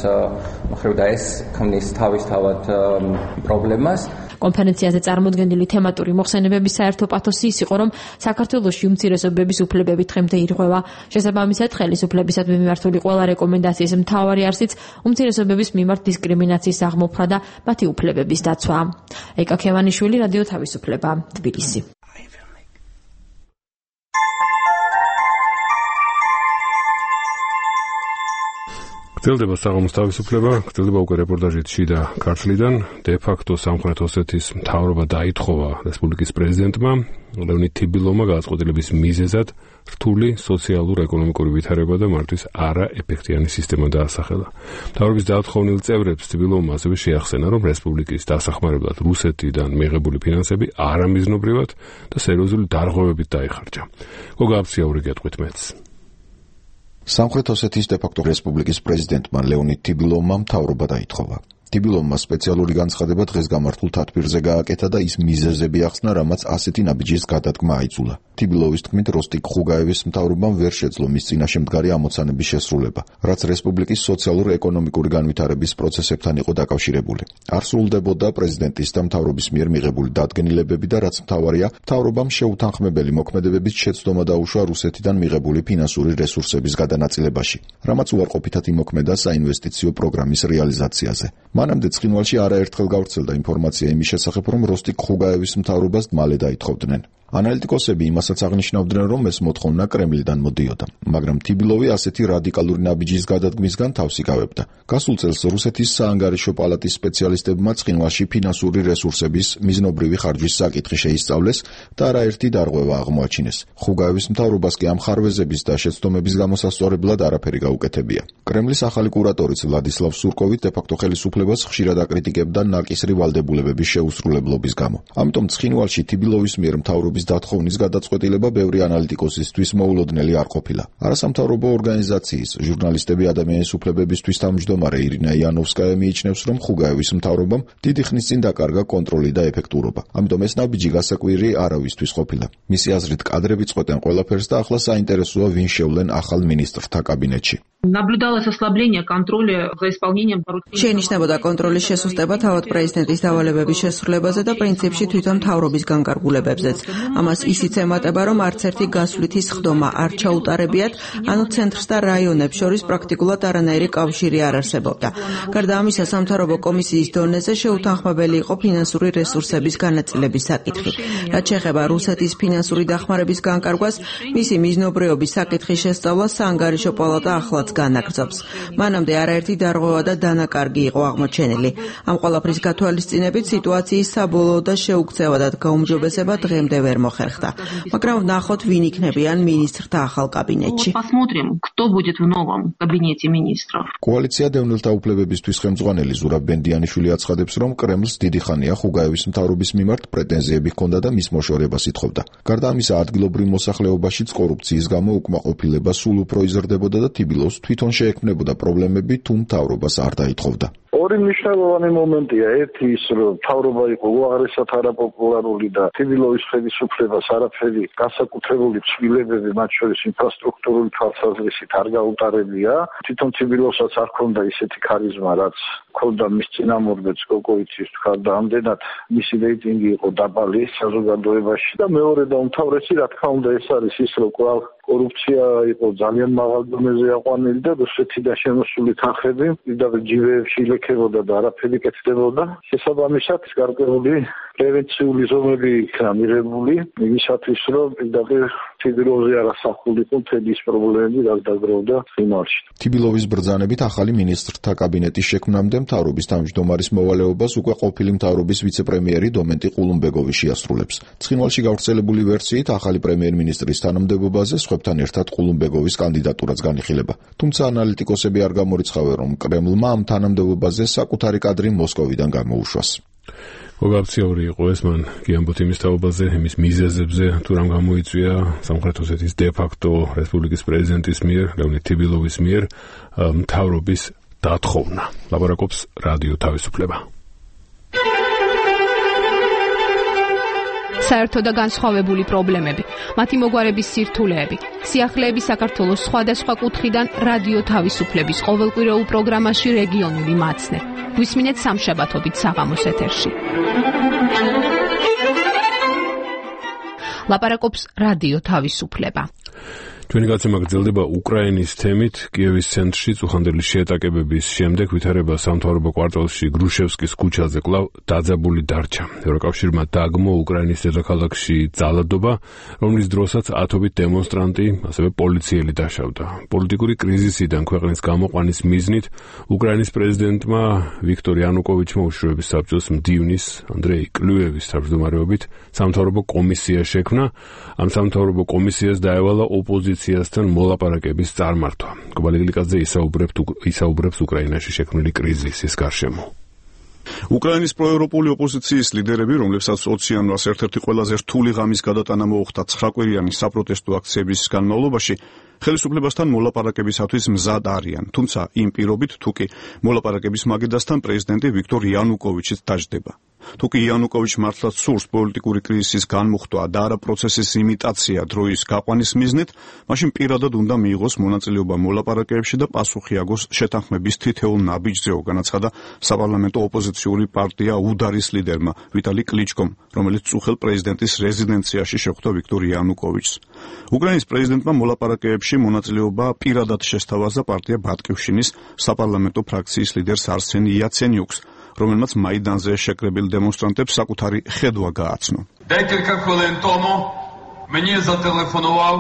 მხრივ და ეს ქმნის თავისთავად პრობლემას. კონფერენციაზე წარმოდგენილი თემატური მოხსენებების საერთო პათოსი ის იყო, რომ საქართველოში უმცირესობების უფლებები დღემდე ირღვევა. შესაბამისად, ხელისუფლებისადმი მიმართული ყველა რეკომენდაციის მთავარი არსიც უმცირესობების მიმართ დისკრიმინაციის აღმოფხვრა და მათი უფლებების დაცვა. ეკა ქევანიშვილი, რადიო თავისუფლება, თბილისი. გრძელდება საღამოს თავისუფლება, გრძელდება უკვე რეპორტაჟით შიდა ქართლიდან. დე-ფაქტო სამხრეთ ოსეთის მთავრობა დაითხოვა რესპუბლიკის პრეზიდენტმა ლეონიდ თიბილოვმა გადაწყვეტილების მიზეზად რთული სოციალურ-ეკონომიკური ვითარება და მართვის არაეფექტიანი სისტემა დაასახელა. მთავრობის დაათხოვნილ წევრებს თიბილოვმა ასევე შეახსენა, რომ რესპუბლიკის დასახმარებლად რუსეთიდან მიღებული ფინანსები არამიზნობრივად და სერიოზული დარღვევებით დაიხარჯა. გოგა აბციაური გეტყვით მეც. სამხრეთ ოსეთის დე-ფაქტო რესპუბლიკის პრეზიდენტმა ლეონიდ თიბილოვმა მთავრობა დაითხოვა. თიბილოვმა სპეციალური განცხადება დღეს გამართულ თათბირზე გააკეთა და ის მიზეზები ახსნა, რამაც ასეთი ნაბიჯის გადადგმა აიძულა. თიბილოვის თქმით, როსტიკ ხუგაევის მთავრობამ ვერ შეძლო მის წინაშე მდგარი ამოცანების შესრულება, რაც რესპუბლიკის სოციალურ-ეკონომიკური განვითარების პროცესებთან იყო დაკავშირებული. არ სრულდებოდა პრეზიდენტის და მთავრობის მიერ მიღებული დადგენილებები და რაც მთავარია, მთავრობამ შეუთანხმებელი მოქმედებებით შეცდომა დაუშვა რუსეთიდან მიღებული ფინანსური რესურსების გადანაწილებაში, რამაც უარყოფითად იმოქმედა საინვესტიციო პროგრამის რეალიზაციაზე. მანამდე ცხინვალში არაერთხელ გავრცელდა ინფორმაცია იმის შესახებ, რომ როსტიკ ხუგაევის მთავრობას მალე დაითხოვდნენ. ანალიტიკოსები იმასაც აღნიშნავდნენ, რომ ეს მოთხოვნა კრემლიდან მოდიოდა, მაგრამ თიბილოვი ასეთი რადიკალური ნაბიჯის გადადგმისგან თავს იკავებდა. გასულ წელს რუსეთის საანგარიშო პალატის სპეციალისტებმა ცხინვალში ფინანსური რესურსების მიზნობრივი ხარჯვის საკითხი შეისწავლეს და არაერთი დარღვევა აღმოაჩინეს. ხუგაევის მთავრობას კი ამ ხარვეზების და შეცდომების გამოსასწორებლად არაფერი გაუკეთებია. კრემლის ახალი კურატორიც ვლადისლავ სურკოვი დე-ფაქტო ხელისუფლებას ხშირად აკრიტიკებდა ნაკისრი ვალდებულებების შეუსრულებლობის გამო. ამიტომ ცხინვალში თიბილოვის მიერ მთავრობის დათხოვნის გადაწყვეტილება ბევრი ანალიტიკოსისთვის მოულოდნელი არ ყოფილა. არასამთავრობო ორგანიზაციის ჟურნალისტები ადამიანის უფლებებისთვის თავმჯდომარე ირინა იანოვსკაია მიიჩნევს, რომ ხუგაევის მთავრობამ დიდი ხნის წინ დაკარგა კონტროლი და ეფექტურობა. ამიტომ ეს ნაბიჯი გასაკვირი არავისთვის ყოფილა. მისი აზრით, კადრები წყვეტენ ყველაფერს და ახლა საინტერესოა ვინ შევლენ ახალ მინისტრთა კაბინეტში. Наблюдалось ослабление контроля за исполнением შეინიშნებოდა კონტროლის შესუსტება თავად პრეზიდენტის დავალებების შესრულებაზე და პრინციპში თვითონ მთავრობის განკარგულებებზეც. ამას ისიც ემატება, რომ არც ერთი გასვლითი სხდომა არ ჩაუტარებიათ, ანუ ცენტრს და რაიონებს შორის პრაქტიკულად არანაირი კავშირი არ არსებობდა. გარდა ამისა, სამთავრობო კომისიის დონეზე შეუთანხმებელი იყო ფინანსური რესურსების განაწილების საკითხი. რაც შეეხება რუსეთის ფინანსური დახმარების განკარგვას, მისი მიზნობრიობის საკითხის შესწავლა საანგარიშო პალატა ახლაც განაგრძობს. მანამდე არაერთი დარღვევა და დანაკარგი იყო აღმოჩენილი. ამ ყველაფრის გათვალისწინებით სიტუაციის საბოლოო და შეუქცევადად გაუმჯობესება დღემდე ვერ მოხერხდა. მაგრამ ვნახოთ, ვინ იქნებიან მინისტრთა ახალ კაბინეტში. Посмотрим, кто будет в новом кабинете министров. კოალიცია დევნილთა უფლებებისთვის ხელმძღვანელი ზურაბ ბენდიანიშვილი აცხადებს, რომ კრემლს დიდი ხანია ხუგაევის მთავრობის მიმართ პრეტენზიები ჰქონდა და მის მოშორებას ითხოვდა. გარდა ამისა, ადგილობრივ მოსახლეობაშიც კორუფციის გამო უკმაყოფილება სულ უფრო იზრდებოდა და თიბილოვს თვითონ შეექმნებოდა პრობლემები, თუ მთავრობას არ დაითხოვდა. ორი მნიშვნელოვანი მომენტია. ერთი ის, რომ მთავრობა იყო უაღრესად არაპოპულარული და თიბილოვის ხელისუფლებას არაფერი განსაკუთრებული ცვლილებები, მათ შორის ინფრასტრუქტურული თვალსაზრისით არ გაუტარებია. თვითონ თიბილოვსაც არ ჰქონდა ისეთი ქარიზმა, რაც ჰქონდა მის წინამორბედს კოკოვიცის თქვა და ამდენად მისი რეიტინგი იყო დაბალი საზოგადოებაში და მეორე და უმთავრესი, რა თქმა უნდა, ეს არის ის, რომ კვლავ კორუფცია იყო ძალიან მაღალ დონეზე აყვანილი და რუსეთიდან შემოსული თანხები პირდაპირ ჯიბეებში ილექებოდა და არაფერი კეთდებოდა. შესაბამისად, გარკვეული პრევენციული ზომები იქნა მიღებული იმისათვის, რომ პირდაპირ თიბილოვზე არ ასახულიყო მთელი ის პრობლემები, რაც დაგროვდა ცხინვალში. თიბილოვის ბრძანებით ახალი მინისტრთა კაბინეტის შექმნამდე მთავრობის თავმჯდომარის მოვალეობას უკვე ყოფილი მთავრობის ვიცე-პრემიერი დომენტი ყულუმბეგოვი შეასრულებს. ცხინვალში გავრცელებული ვერსიით ახალი პრემიერ-მინისტრის თანამდებობაზე სხვებთან ერთად ყულუმბეგოვის კანდიდატურაც განიხილება. თუმცა ანალიტიკოსები არ გამორიცხავენ, რომ კრემლმა ამ თანამდებობაზე საკუთარი კადრი მოსკოვიდან გამოუშვას. გოგაბციური იყო ეს, მან გიამბოთ იმის თაობაზე, იმის მიზეზებზე, თუ რამ გამოიწვია სამხრეთ ოსეთის დე-ფაქტო რესპუბლიკის პრეზიდენტის მიერ, ლეონიდ თიბილოვის მიერ მთავრობის დათხოვნა. ლაპარაკობს რადიო თავისუფლება. საერთო და განსხვავებული პრობლემები, მათი მოგვარების სირთულეები, სიახლეები საქართველოს სხვადასხვა კუთხიდან რადიო თავისუფლების ყოველკვირეულ პროგრამაში რეგიონული მაცნე. გვისმინეთ სამშაბათობით საღამოს ეთერში. ლაპარაკობს რადიო თავისუფლება. Ჩვენი გაცემა გრძელდება უკრაინის თემით. კიევის ცენტრში წუხანდელი შეეტაკებების შემდეგ ვითარება სამთავრობო კვარტალში გრუშევსკის ქუჩაზე კვლავ დაძაბული დარჩა. ევროკავშირმა დაგმო უკრაინის დედაქალაქში ძალადობა, რომლის დროსაც ათობით დემონსტრანტი, ასევე პოლიციელი დაშავდა. პოლიტიკური კრიზისიდან ქვეყნის გამოყვანის მიზნით უკრაინის პრეზიდენტმა ვიქტორ იანუკოვიჩმა უშიშროების საბჭოს მდივნის ანდრეი კლუევის თავმჯდომარეობით სამთავრობო კომისია შექმნა. ამ სამთავრობო კომისიას დაევალა ოპოზიციასთან მოლაპარაკების წარმართვა. კობალიგლიკაძე ისაუბრებს უკრაინაში შექმნილი კრიზისის გარშემო. უკრაინის პროევროპული ოპოზიციის ლიდერები, რომლებსაც ოცი იანვარს ერთ-ერთი ყველაზე რთული ღამის გადატანა მოუხდა ცხრაკვირიანი საპროტესტო აქციების განმავლობაში, ხელისუფლებასთან მოლაპარაკებისათვის მზად არიან, თუმცა იმ პირობით, თუ კი მოლაპარაკების მაგიდასთან პრეზიდენტი ვიქტორ იანუკოვიჩიც დაждდება. თუ კი იანუკოვიჩ მართლაც სურს პოლიტიკური კრიზისის განმუხტვა და არა პროცესის იმიტაცია დროის გაყვანის მიზნით, მაშინ პირადად უნდა მიიღოს მონაწილეობა მოლაპარაკებებში და პასუხი აგოს შეთანხმების თითოეულ ნაბიჯზე, განაცხადა საპარლამენტო ოპოზიციური პარტია უდარის ლიდერმა ვიტალი კლიჩკომ, რომელიც წუხელ პრეზიდენტის რეზიდენციაში შეხვდა ვიქტორ იანუკოვიჩს. უკრაინის პრეზიდენტმა მოლაპარაკებებში მონაწილეობა პირადად შესთავაზა პარტია ბატკივშინის საპარლამენტო ფრაქციის ლიდერს არსენ იაცენიუკს, რომელმაც მაიდანზე შეკრებილ დემონსტრანტებს საკუთარი ხედვა გააცნო. Декілька хвилин тому мені зателефонував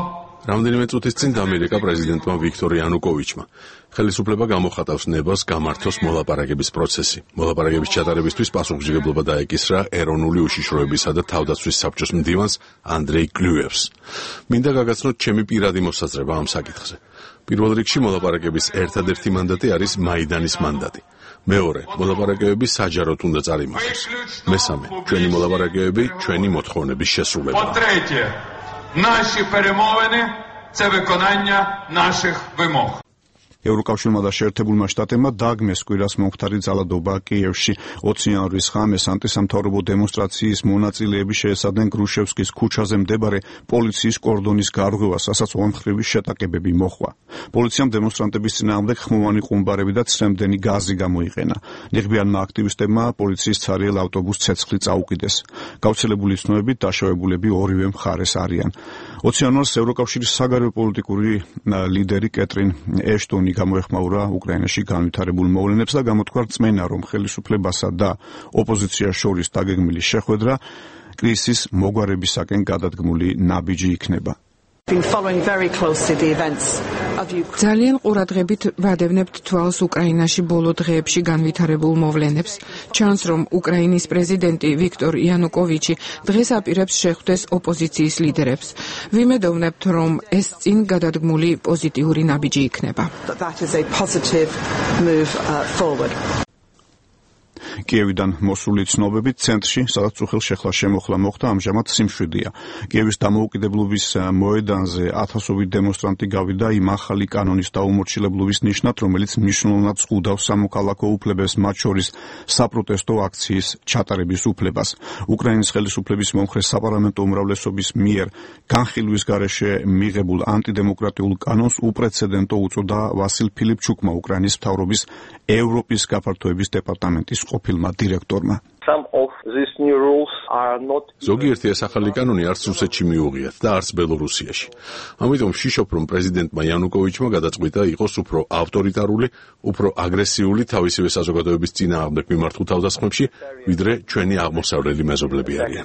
რამდენიმე წუთის წინ ამერიკა პრეზიდენტმა ვიქტორ იანუკოვიჩმა ხელისუფლება გამოხატავს ნებას გამართოს მოლაპარაკების პროცესი. მოლაპარაკების ჩატარებისთვის პასუხისმგებლობა დაეკისრა ეროვნული უშიშროებისა და თავდაცვის საბჭოს მდივანს ანდრეი კლუევს. მინდა გაგაცნოთ ჩემი პირადი მოსაზრება ამ საკითხზე. პირველ რიგში მოლაპარაკების ერთადერთი მანდატი არის მაიდანის მანდატი. მეორე, მოლაპარაკებები საჯაროდ უნდა წარიმართოს. მესამე, ჩვენი მოლაპარაკებები ჩვენი მოთხოვნების შესრულება. По-третє, наші перемовини – це виконання наших вимог. ევროკავშირმა და შეერთებულმა შტატებმა დაგმეს კვირას მომხდარი ძალადობა კიევში. ოცი იანვრის ღამეს ანტისამთავრობო დემონსტრაციის მონაწილეები შეესადნენ გრუშევსკის ქუჩაზე მდებარე პოლიციის კორდონის გარღვევას, რასაც ორმხრივი შეტაკებები მოჰყვა. პოლიციამ დემონსტრანტების წინააღმდეგ ხმოვანი ყუმბარები და ცრემლდენი გაზი გამოიყენა. ნიღბიანმა აქტივისტებმა პოლიციის ცარიელ ავტობუსს ცეცხლი წაუკიდეს. გავრცელებული ცნობებით დაშავებულები ორივე მხარეს არიან. ოცი იანვარს ევროკავშირის საგარეო პოლიტიკური ლიდერი კეტრინ ეშტონი გამოეხმაურა უკრაინაში განვითარებულ მოვლენებს და გამოთქვა რწმენა, რომ ხელისუფლებასა და ოპოზიციას შორის დაგეგმილი შეხვედრა კრიზისის მოგვარებისაკენ გადადგმული ნაბიჯი იქნება. ძალიან ყურადღებით ვადევნებთ თვალს უკრაინაში ბოლო დღეებში განვითარებულ მოვლენებს. ჩანს, რომ უკრაინის პრეზიდენტი ვიქტორ იანუკოვიჩი დღეს აპირებს შეხვდეს ოპოზიციის ლიდერებს. ვიმედოვნებთ, რომ ეს წინ გადადგმული პოზიტიური ნაბიჯი იქნება. კიევიდან მოსული ცნობებით ცენტრში, სადაც უხელ შეხლა შემოხლა მოხდა, ამჟამად სიმშვიდეა. კიევის დამოუკიდებლობის მოედანზე ათასობით დემონსტრანტი გავიდა იმ ახალი კანონის დაუმორჩილებლობის ნიშნად, რომელიც მნიშვნელოვნად ზღუდავს სამოქალაქო უფლებებს, მათ შორის საპროტესტო აქციის ჩატარების უფლებას. უკრაინის ხელისუფლების მომხრე საპარლამენტო უმრავლესობის მიერ განხილვის გარეშე მიღებულ ანტიდემოკრატიულ კანონს უპრეცედენტო უწოდა ვასილ ფილიპჩუკმა, უკრაინის მთავრობის ევროპის გაფართოების დეპარტამენტის ყოფილმა დირექტორმა. ზოგიერთი ეს ახალი კანონი არც რუსეთში მიუღიათ და არც ბელორუსიაში. ამიტომ ვშიშობ, რომ პრეზიდენტმა იანუკოვიჩმა გადაწყვიტა იყოს უფრო ავტორიტარული, უფრო აგრესიული თავისივე საზოგადოების წინააღმდეგ მიმართულ თავდასხმებში, ვიდრე ჩვენი აღმოსავლელი მეზობლები არიან.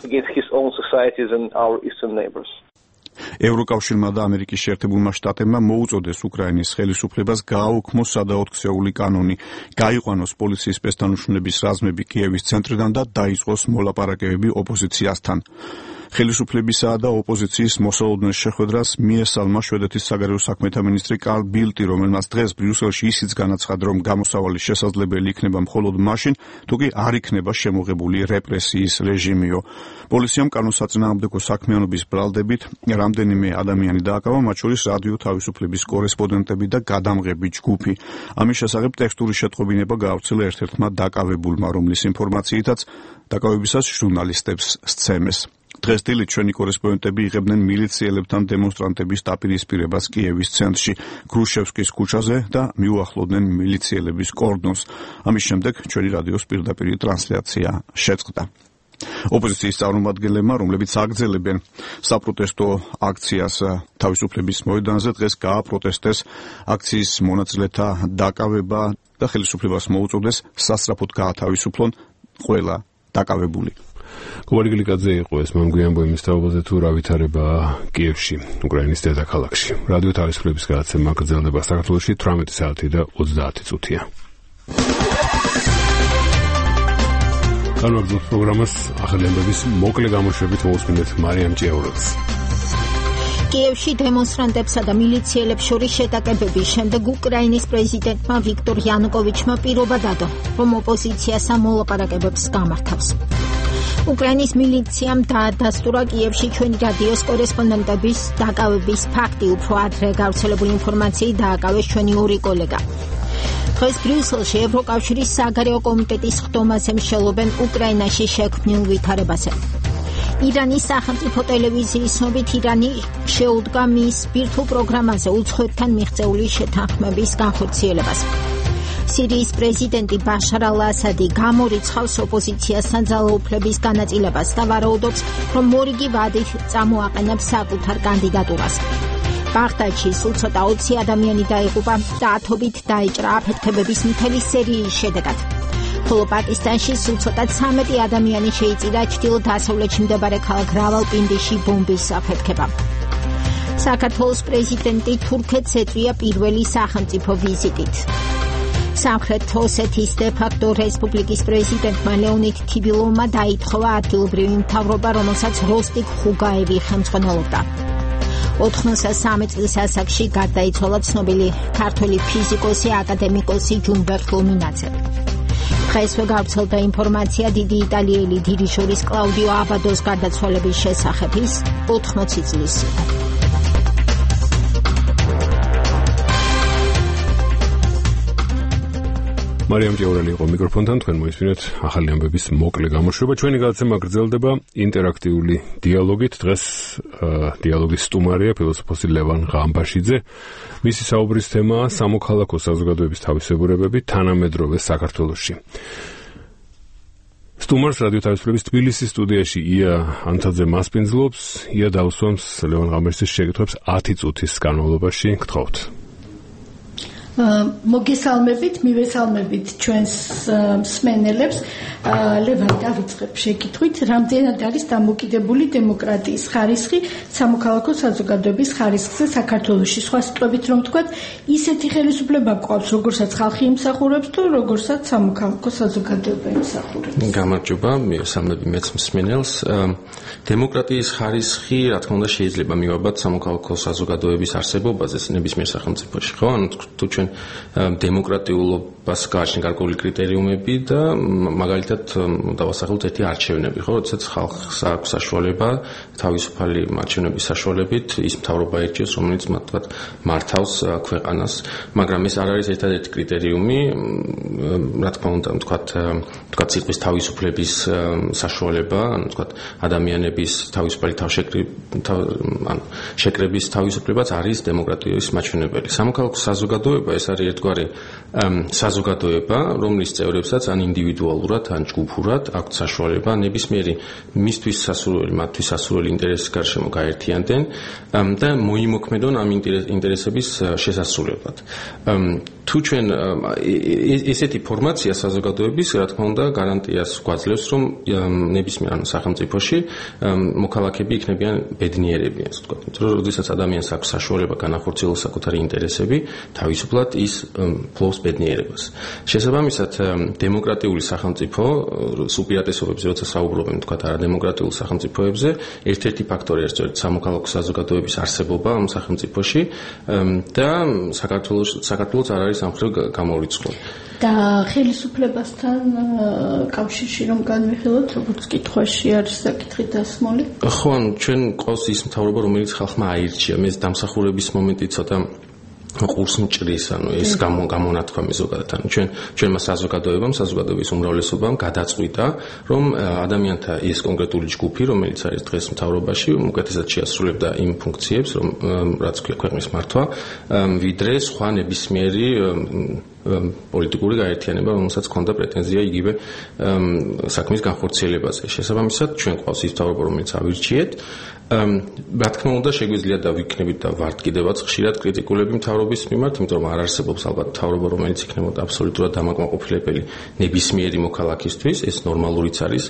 ევროკავშირმა და ამერიკის შეერთებულმა შტატებმა მოუწოდეს უკრაინის ხელისუფლებას გააუქმოს სადაოთხსეული კანონი, გაიყვანოს პოლიციის სპეცდანუშნების რაზმები კიევის ცენტრიდან და დაიწყოს მოლაპარაკებები ოპოზიციასთან. ხელისუფლებისა და ოპოზიციის მოსალოდნელ შეხვედრას მიესალმა შვედეთის საგარეო საქმეთა მინისტრი კარლ ბილტი, რომელმაც დღეს ბრიუსელში ისიც განაცხადა, რომ გამოსავალი შესაძლებელი იქნება მხოლოდ მაშინ, თუ კი არ იქნება შემოღებული რეპრესიის რეჟიმიო. პოლიციამ კანონსაწინააღმდეგო საქმიანობის ბრალდებით რამდენიმე ადამიანი დააკავა, მათ შორის რადიო თავისუფლების კორესპონდენტები და გადამღები ჯგუფი. ამის შესახებ ტექსტური შეტყობინება გაავრცელა ერთ-ერთმა დაკავებულმა, რომლის ინფორმაციითაც დაკავებისას ჟურნალისტებს სცემეს. დღეს დილით ჩვენი კორესპონდენტები იღებდნენ მილიციელებთან დემონსტრანტების დაპირისპირებას კიევის ცენტრში, გრუშევსკის ქუჩაზე და მიუახლოვდნენ მილიციელების კორდონს. ამის შემდეგ ჩვენი რადიოს პირდაპირ ტრანსლაცია შეწყდა. ოპოზიციის წარმომადგენლებმა, რომლებიც აგრძელებენ საპროტესტო აქციას თავისუფლების მოედანზე, დღეს გააპროტესტეს აქციის მონაწილეთა დაკავება და ხელისუფლებას მოუწოდეს სასწრაფოდ გაათავისუფლონ ყველა დაკავებული. გუარი გლიკაძე იყო ეს მამგვიანბო იმის თაობაზე თუ რა ვითარებაა კიევში, უკრაინის დედაქალაქში. რადიო თავისუფლების გადაცემა გრძელდება საქართველოში თვრამეტი საათი და ოცდაათი წუთია. განვაგრძობთ პროგრამას ახალი ამბების მოკლე გამოშვებით მოусმინეთ მარიამ ჭიაურელს. კიევში დემონსტრანტებსა და მილიციელებს შორის შეტაკებების შემდეგ უკრაინის პრეზიდენტმა ვიქტორ იანუკოვიჩმა პირობა დადო, რომ ოპოზიცია სამოლაპარაკებებს გამართავს. უკრაინის მილიციამ დაადასტურა კიევში ჩვენი რადიოს კორესპონდენტების დაკავების ფაქტი, უფრო ადრე გავრცელებული ინფორმაციით დააკავეს ჩვენი ორი კოლეგა. დღეს ბრიუსელში ევროკავშირის საგარეო კომიტეტის ხდომაზე მსჯელობენ უკრაინაში შექმნილ ვითარებაზე. ირანის სახელმწიფო ტელევიზიის ცნობით ირანი შეუდგა მის ბირთვულ პროგრამაზე უცხოეთთან მიღწეული შეთანხმების განხორციელებას. სირიის პრეზიდენტი ბაშარ ალ-ასადი გამორიცხავს ოპოზიციასთან ძალაუფლების განაწილებას და ვარაუდობს, რომ მორიგი ვადით წამოაყენებს საკუთარ კანდიდატურას. ბაღდადში სულ ცოტა ოცი ადამიანი დაიღუპა და ათობით დაიჭრა აფეთქებების მთელი სერიის შედეგად. ხოლო პაკისტანში სულ ცოტა ცამეტი ადამიანი შეიწირა ჩრდილო-დასავლეთში მდებარე ქალაქ რავალპინდიში ბომბის საფეთქება. საქართველოს პრეზიდენტი თურქეთს ეწვია პირველი სახელმწიფო ვიზიტით. სამხრეთ ოსეთის დე-ფაქტო რესპუბლიკის პრეზიდენტმა ლეონიდ თიბილოვმა დაითხოვა ადგილობრივი მთავრობა, რომელსაც როსტიკ ხუგაევი ხელმძღვანელობდა. ოთხმოცდასამი წლის ასაკში გარდაიცვალა ცნობილი ქართველი ფიზიკოსი აკადემიკოსი ჯუნბერ ხლომინაძე. დღესვე გავრცელდა ინფორმაცია დიდი იტალიელი დირიჟორის კლაუდიო აბადოს გარდაცვალების შესახებ. ის ოთხმოცი წლის იყო. მარიამ ჭიაურელი იყო მიკროფონთან, თქვენ მოისმინეთ ახალი ამბების მოკლე გამოშვება. ჩვენი გადაცემა გრძელდება ინტერაქტიული დიალოგით. დღეს დიალოგის სტუმარია ფილოსოფოსი ლევან ღამბაშიძე. მისი საუბრის თემაა სამოქალაქო საზოგადოების თავისებურებები თანამედროვე საქართველოში. სტუმარს რადიო თავისუფლების თბილისის სტუდიაში ია ანთაძე მასპინძლობს. ია დაუსვამს ლევან ღამბაშიძის შეკითხვებს ათი წუთის განმავლობაში. გთხოვთ. მოგესალმებით, მივესალმებით ჩვენს მსმენელებს. ლევან, დავიწყებ შეკითხვით, რამდენად არის დამოკიდებული დემოკრატიის ხარისხი სამოქალაქო საზოგადოების ხარისხზე საქართველოში? სხვა სიტყვებით რომ ვთქვათ, ისეთი ხელისუფლება გვყავს, როგორცაც ხალხი იმსახურებს თუ როგორცაც სამოქალაქო საზოგადოება იმსახურებს. გამარჯობა, მივესალმები მეც მსმენელს. დემოკრატიის ხარისხი, რა თქმა უნდა, შეიძლება მივაბად სამოქალაქო საზოგადოების არსებობაზე ნებისმიერ სახელმწიფოში, ხო? ანუ თუ ჩვენ დემოკრატიულობას გააჩნია გარკვეული კრიტერიუმები და მაგალითად დავასახელოთ ერთი არჩევნები, ხო, როდესაც ხალხს აქვს საშუალება თავისუფალი არჩევნების საშუალებით ის მთავრობა ერჩიოს, რომელიც მათ თქვათ მართავს ქვეყანას, მაგრამ ეს არ არის ერთადერთი კრიტერიუმი, რა თქმა უნდა, თქვათ, თქვათ სიტყვის თავისუფლების საშუალება, ანუ თქვათ ადამიანების თავისუფალი ანუ შეკრების თავისუფლებაც არის დემოკრატიის მაჩვენებელი. სამოქალაქო საზოგადოება ეს არის ერთგვარი საზოგადოება, რომლის წევრებსაც ან ინდივიდუალურად, ან ჯგუფურად აქვთ საშუალება ნებისმიერი მისთვის სასურველი, მათთვის სასურველი ინტერესის გარშემო გაერთიანდნენ და მოიმოქმედონ ამ ინტერესების შესასრულებლად. თუ ჩვენ ესეთი ფორმაცია საზოგადოების, რა თქმა უნდა, გარანტიას გვაძლევს, რომ ნებისმიერ სახელმწიფოში მოქალაქეები იქნებიან ბედნიერები, ასე ვთქვათ. იმიტომ რომ როდესაც ადამიანს აქვს საშუალება განახორციელოს საკუთარი ინტერესები, თავისუფლად ის ფლობს ბედნიერებას. შესაბამისად, დემოკრატიული სახელმწიფო უპირატესობებზე, როცა საუბრობენ, თქვათ, არადემოკრატიულ სახელმწიფოებზე, ერთ-ერთი ფაქტორი არის სწორედ სამოქალაქო საზოგადოების არსებობა ამ სახელმწიფოში და საქართველოს საქართველოს არ არის ამ მხრივ გამორიცხული. და ხელისუფლებასთან კავშირში რომ განვიხილოთ, როგორც კითხვაში არის საკითხი დასმული. ხო, ანუ ჩვენ ყავს ის მთავრობა, რომელიც ხალხმა აირჩია. მე დამსახურების მომენტი ცოტა ყურს მჭრის, ანუ ეს გამონათქვამი ზოგადად, ანუ ჩვენ ჩვენმა საზოგადოებამ, საზოგადოების უმრავლესობამ გადაწყვიტა, რომ ადამიანთა ის კონკრეტული ჯგუფი, რომელიც არის დღეს მთავრობაში, უკეთესად შეასრულებდა იმ ფუნქციებს, რომ რაც ქვია ქვეყნის მართვა, ვიდრე სხვა ნებისმიერი პოლიტიკური გაერთიანება, რომელსაც ჰქონდა პრეტენზია იგივე საქმის განხორციელებაზე. შესაბამისად, ჩვენ ყავს ის მთავრობა, რომელიც ავირჩიეთ. რა თქმა უნდა, შეგვიძლია და ვიქნებით და ვართ კიდევაც ხშირად კრიტიკულები მთავრობის მიმართ, იმიტომ რომ არ არსებობს ალბათ მთავრობა, რომელიც იქნებოდა აბსოლუტურად დამაკმაყოფილებელი ნებისმიერი მოქალაქისთვის, ეს ნორმალურიც არის.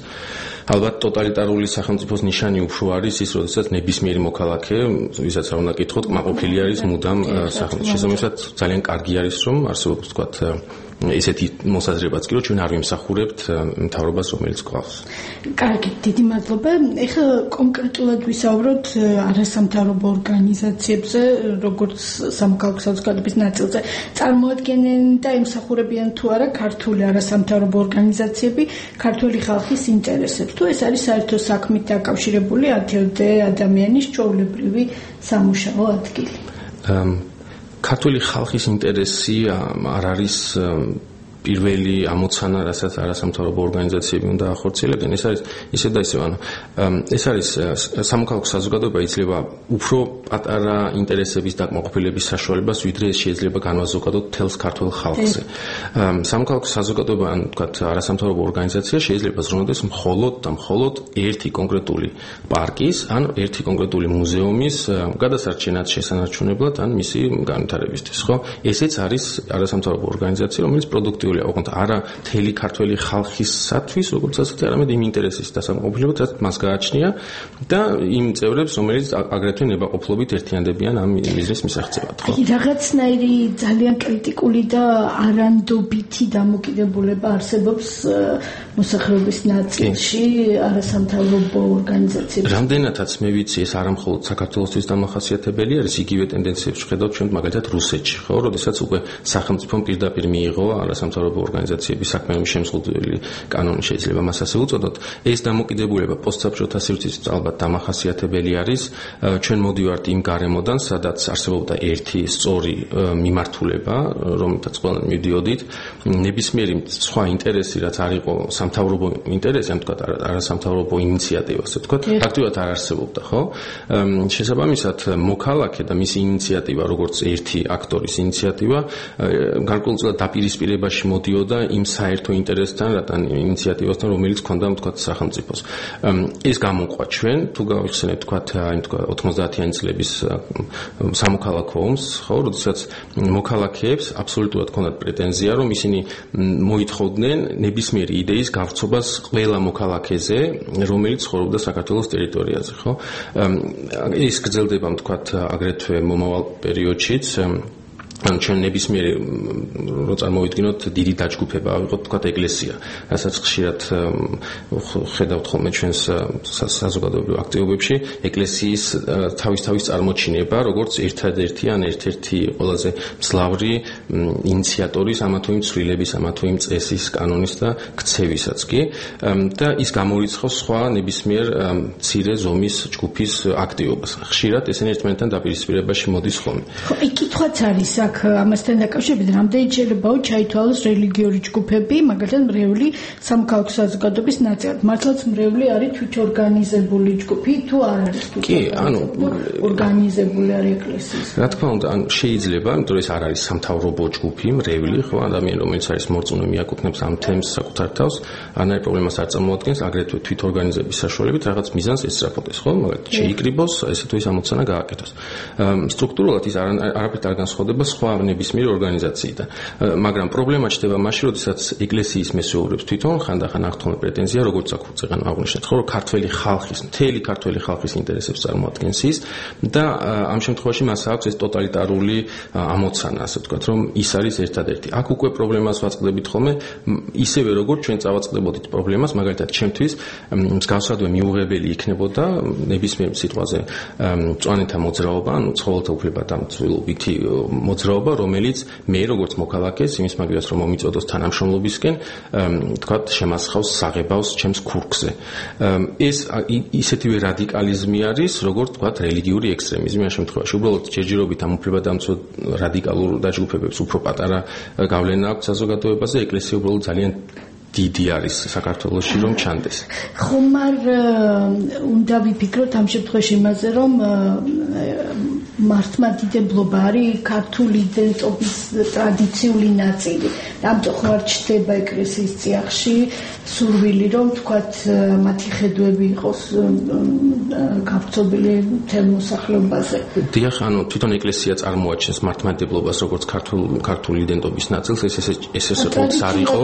ალბათ ტოტალიტარული სახელმწიფოს ნიშანი უფრო არის ის, როდესაც ნებისმიერი მოქალაქე, ვისაც რა უნდა კითხოთ, კმაყოფილი არის მუდამ სახელმწიფოს. შესაბამისად, ძალიან კარგი არის, რომ არსებობს თქვათ ესეთი მოსაზრებაც კი, რომ ჩვენ არ ვიმსახურებთ მთავრობას, რომელიც გვყავს. კარგი, დიდი მადლობა. ეხლა კონკრეტულად ვისაუბროთ არასამთავრობო ორგანიზაციებზე, როგორც სამოქალაქო საზოგადოების ნაწილზე. წარმოადგენენ და იმსახურებიან თუ არა ქართული არასამთავრობო ორგანიზაციები ქართული ხალხის ინტერესებს. თუ ეს არის საერთო საქმით დაკავშირებული ათამდე ადამიანის ჩვეულებრივი სამუშაო ადგილი. ქართული ხალხის ინტერესი არ არის პირველი ამოცანა, რასაც არასამთავრობო ორგანიზაციები უნდა ახორციელებდნენ. ეს არის ისე და ისე, ანუ ეს არის სამოქალაქო საზოგადოება იძლევა უფრო პატარა ინტერესების დაკმაყოფილების საშუალებას, ვიდრე ეს შეიძლება განვაზოგადოთ მთელს ქართულ ხალხზე. სამოქალაქო საზოგადოება, ან თქვათ არასამთავრობო ორგანიზაცია შეიძლება ზრუნავდეს მხოლოდ და მხოლოდ ერთი კონკრეტული პარკის, ან ერთი კონკრეტული მუზეუმის გადასარჩენად შესანარჩუნებლად, ან მისი განვითარებისთვის, ხო? ესეც არის არასამთავრობო ორგანიზაცია, რომელიც პროდუქტიული ოღონდ არა მთელი ქართველი ხალხისათვის, როგორც ასეთი, არამედ იმ ინტერესის დასაკმაყოფილებლად, რაც მას გააჩნია და იმ წევრებს, რომელიც აგრეთვე ნებაყოფლობით ერთიანდებიან ამ მიზნის მისაღწევად. ხო? რაღაცნაირი ძალიან კრიტიკული და არანდობითი დამოკიდებულება არსებობს მოსახლეობის ნაწილში არასამთავრობო ორგანიზაციებში. რამდენადაც მე ვიცი, ეს არა მხოლოდ საქართველოსთვის დამახასიათებელი არის, იგივე ტენდენციებს ვხედავთ ჩვენ მაგალითად რუსეთში, ხო, როდესაც უკვე სახელმწიფომ პირდაპირ მიიღო არასამთავრობო ორგანიზაციების საქმეების შემზღუდველი კანონი, შეიძლება მას ასე უწოდოთ. ეს დამოკიდებულება პოსტსაბჭოთა სივრცის ალბათ დამახასიათებელი არის. ჩვენ მოდივართ იმ გარემოდან, სადაც არსებობდა ერთი სწორი მიმართულება, რომელთაც ყველანი მივდიოდით. ნებისმიერი სხვა ინტერესი, რაც არ იყო სამთავრობო ინტერესი, ან თქვათ არასამთავრობო ინიციატივა, ასე თქვათ, ფაქტობრივად არ არსებობდა, ხო? შესაბამისად, მოქალაქე და მისი ინიციატივა, როგორც ერთი აქტორის ინიციატივა, გარკვეულწილად დაპირისპირებაში მოდიოდა იმ საერთო ინტერესთან, რატან ინიციატივასთან, რომელიც ჰქონდა თქვათ სახელმწიფოს. ეს გამოყვა ჩვენ, თუ გავიხსენებთ თქვათ იმ თქვათ ოთხმოცდაათიანი წლების სამოქალაქო ომს, ხო, როდესაც მოქალაქეებს აბსოლუტურად ჰქონდათ პრეტენზია, რომ ისინი მოითხოვდნენ ნებისმიერი იდეის გავრცობას ყველა მოქალაქეზე, რომელიც ცხოვრობდა საქართველოს ტერიტორიაზე, ხო? ეს გრძელდება თქვათ აგრეთვე მომავალ პერიოდშიც. ან ჩვენ ნებისმიერი რო წარმოვიდგინოთ დიდი დაჯგუფება ავიღოთ თქვათ ეკლესია, რასაც ხშირად ხედავთ ხოლმე ჩვენს საზოგადოებრივ აქტივობებში, ეკლესიის თავის-თავის წარმოჩინება, როგორც ერთადერთი ან ერთ-ერთი ყველაზე მძლავრი ინიციატორის ამა თუ იმ ცვლილების, ამა თუ იმ წესის, კანონის და ქცევისაც კი, და ის გამორიცხავს სხვა ნებისმიერ მცირე ზომის ჯგუფის აქტივობას. ხშირად ესენი ერთმანეთთან დაპირისპირებაში მოდის ხოლმე. ხო, იქ კითხვაც არის აქ ამასთან დაკავშირებით, რამდენიც შეიძლება ჩაითვალოს რელიგიური ჯგუფები, მაგალითად მრევლი სამოქალაქო საზოგადოების ნაწილად. მართლაც მრევლი არის თვითორგანიზებული ჯგუფი თუ არ არის? კი, ანუ ორგანიზებული არის ეკლესიის. რა თქმა უნდა, ან შეიძლება, იმიტომ რომ ეს არ არის სამთავრობო ჯგუფი, მრევლი, ხო, ადამიანი, რომელიც არის მორწმუნე, მიაკუთვნებს ამ თემს საკუთარ თავს, არანაირ პრობლემას არ წარმოადგენს, აგრეთვე თვითორგანიზების საშუალებით რაღაც მიზანს ესწრაფოდეს, ხო, მაგალითად შეიკრიბოს, ესე თუ ის ამოცანა გააკეთოს. სტრუქტურულად ის არაფერთ არ განსხვავდება სხვა ნებისმიერ ორგანიზაციიდან. მაგრამ პრობლემა ჩნდება მაშინ, როდესაც ეკლესიის მესეურებს თვითონ ხანდახან აქვთ პრეტენზია, როგორც აქ უწეგან აღნიშნეთ, ხო, რომ ქართველი ხალხის, მთელი ქართველი ხალხის ინტერესებს წარმოადგენს ის და ამ შემთხვევაში მას აქვს ეს ტოტალიტარული ამოცანა, ასე ვთქვათ, რომ ის არის ერთადერთი. აქ უკვე პრობლემას ვაწყდებით ხოლმე, ისევე როგორც ჩვენ წავაწყდებოდით პრობლემას, მაგალითად, ჩემთვის მსგავსადვე მიუღებელი იქნებოდა ნებისმიერ სიტყვაზე მწვანეთა მოძრაობა, ანუ ცხოველთა უფლებადამცველობითი მოძრაობა, რომელიც მე როგორც მოქალაქეს იმის მაგივრად რომ მომიწოდოს თანამშრომლობისკენ, თქვათ, შემასხავს საღებავს ჩემს ქურქზე. ეს ისეთივე რადიკალიზმი არის, როგორც თქვათ, რელიგიური ექსტრემიზმი ამ შემთხვევაში. უბრალოდ ჯერჯერობით ამ უფლებადამცველ რადიკალურ დაჯგუფებებს უფრო პატარა გავლენა აქვს საზოგადოებაზე, ეკლესია უბრალოდ ძალიან დიდი არის საქართველოში რომ ჩანდეს. ხომ არ უნდა ვიფიქროთ ამ შემთხვევაში იმაზე, რომ მართლმადიდებლობა არის ქართული იდენტობის ტრადიციული ნაწილი. ამიტომ ხარ ჩდება ეკლესიის წიაღში სურვილი, რომ თქვათ მათი ხედვები იყოს გავრცობილი მთელ მოსახლეობაზე. დიახ, ანუ თვითონ ეკლესია წარმოაჩენს მართლმადიდებლობას როგორც ქართულ ქართული იდენტობის ნაწილს, ეს ეს ეს ეს ყოველთვის არ იყო.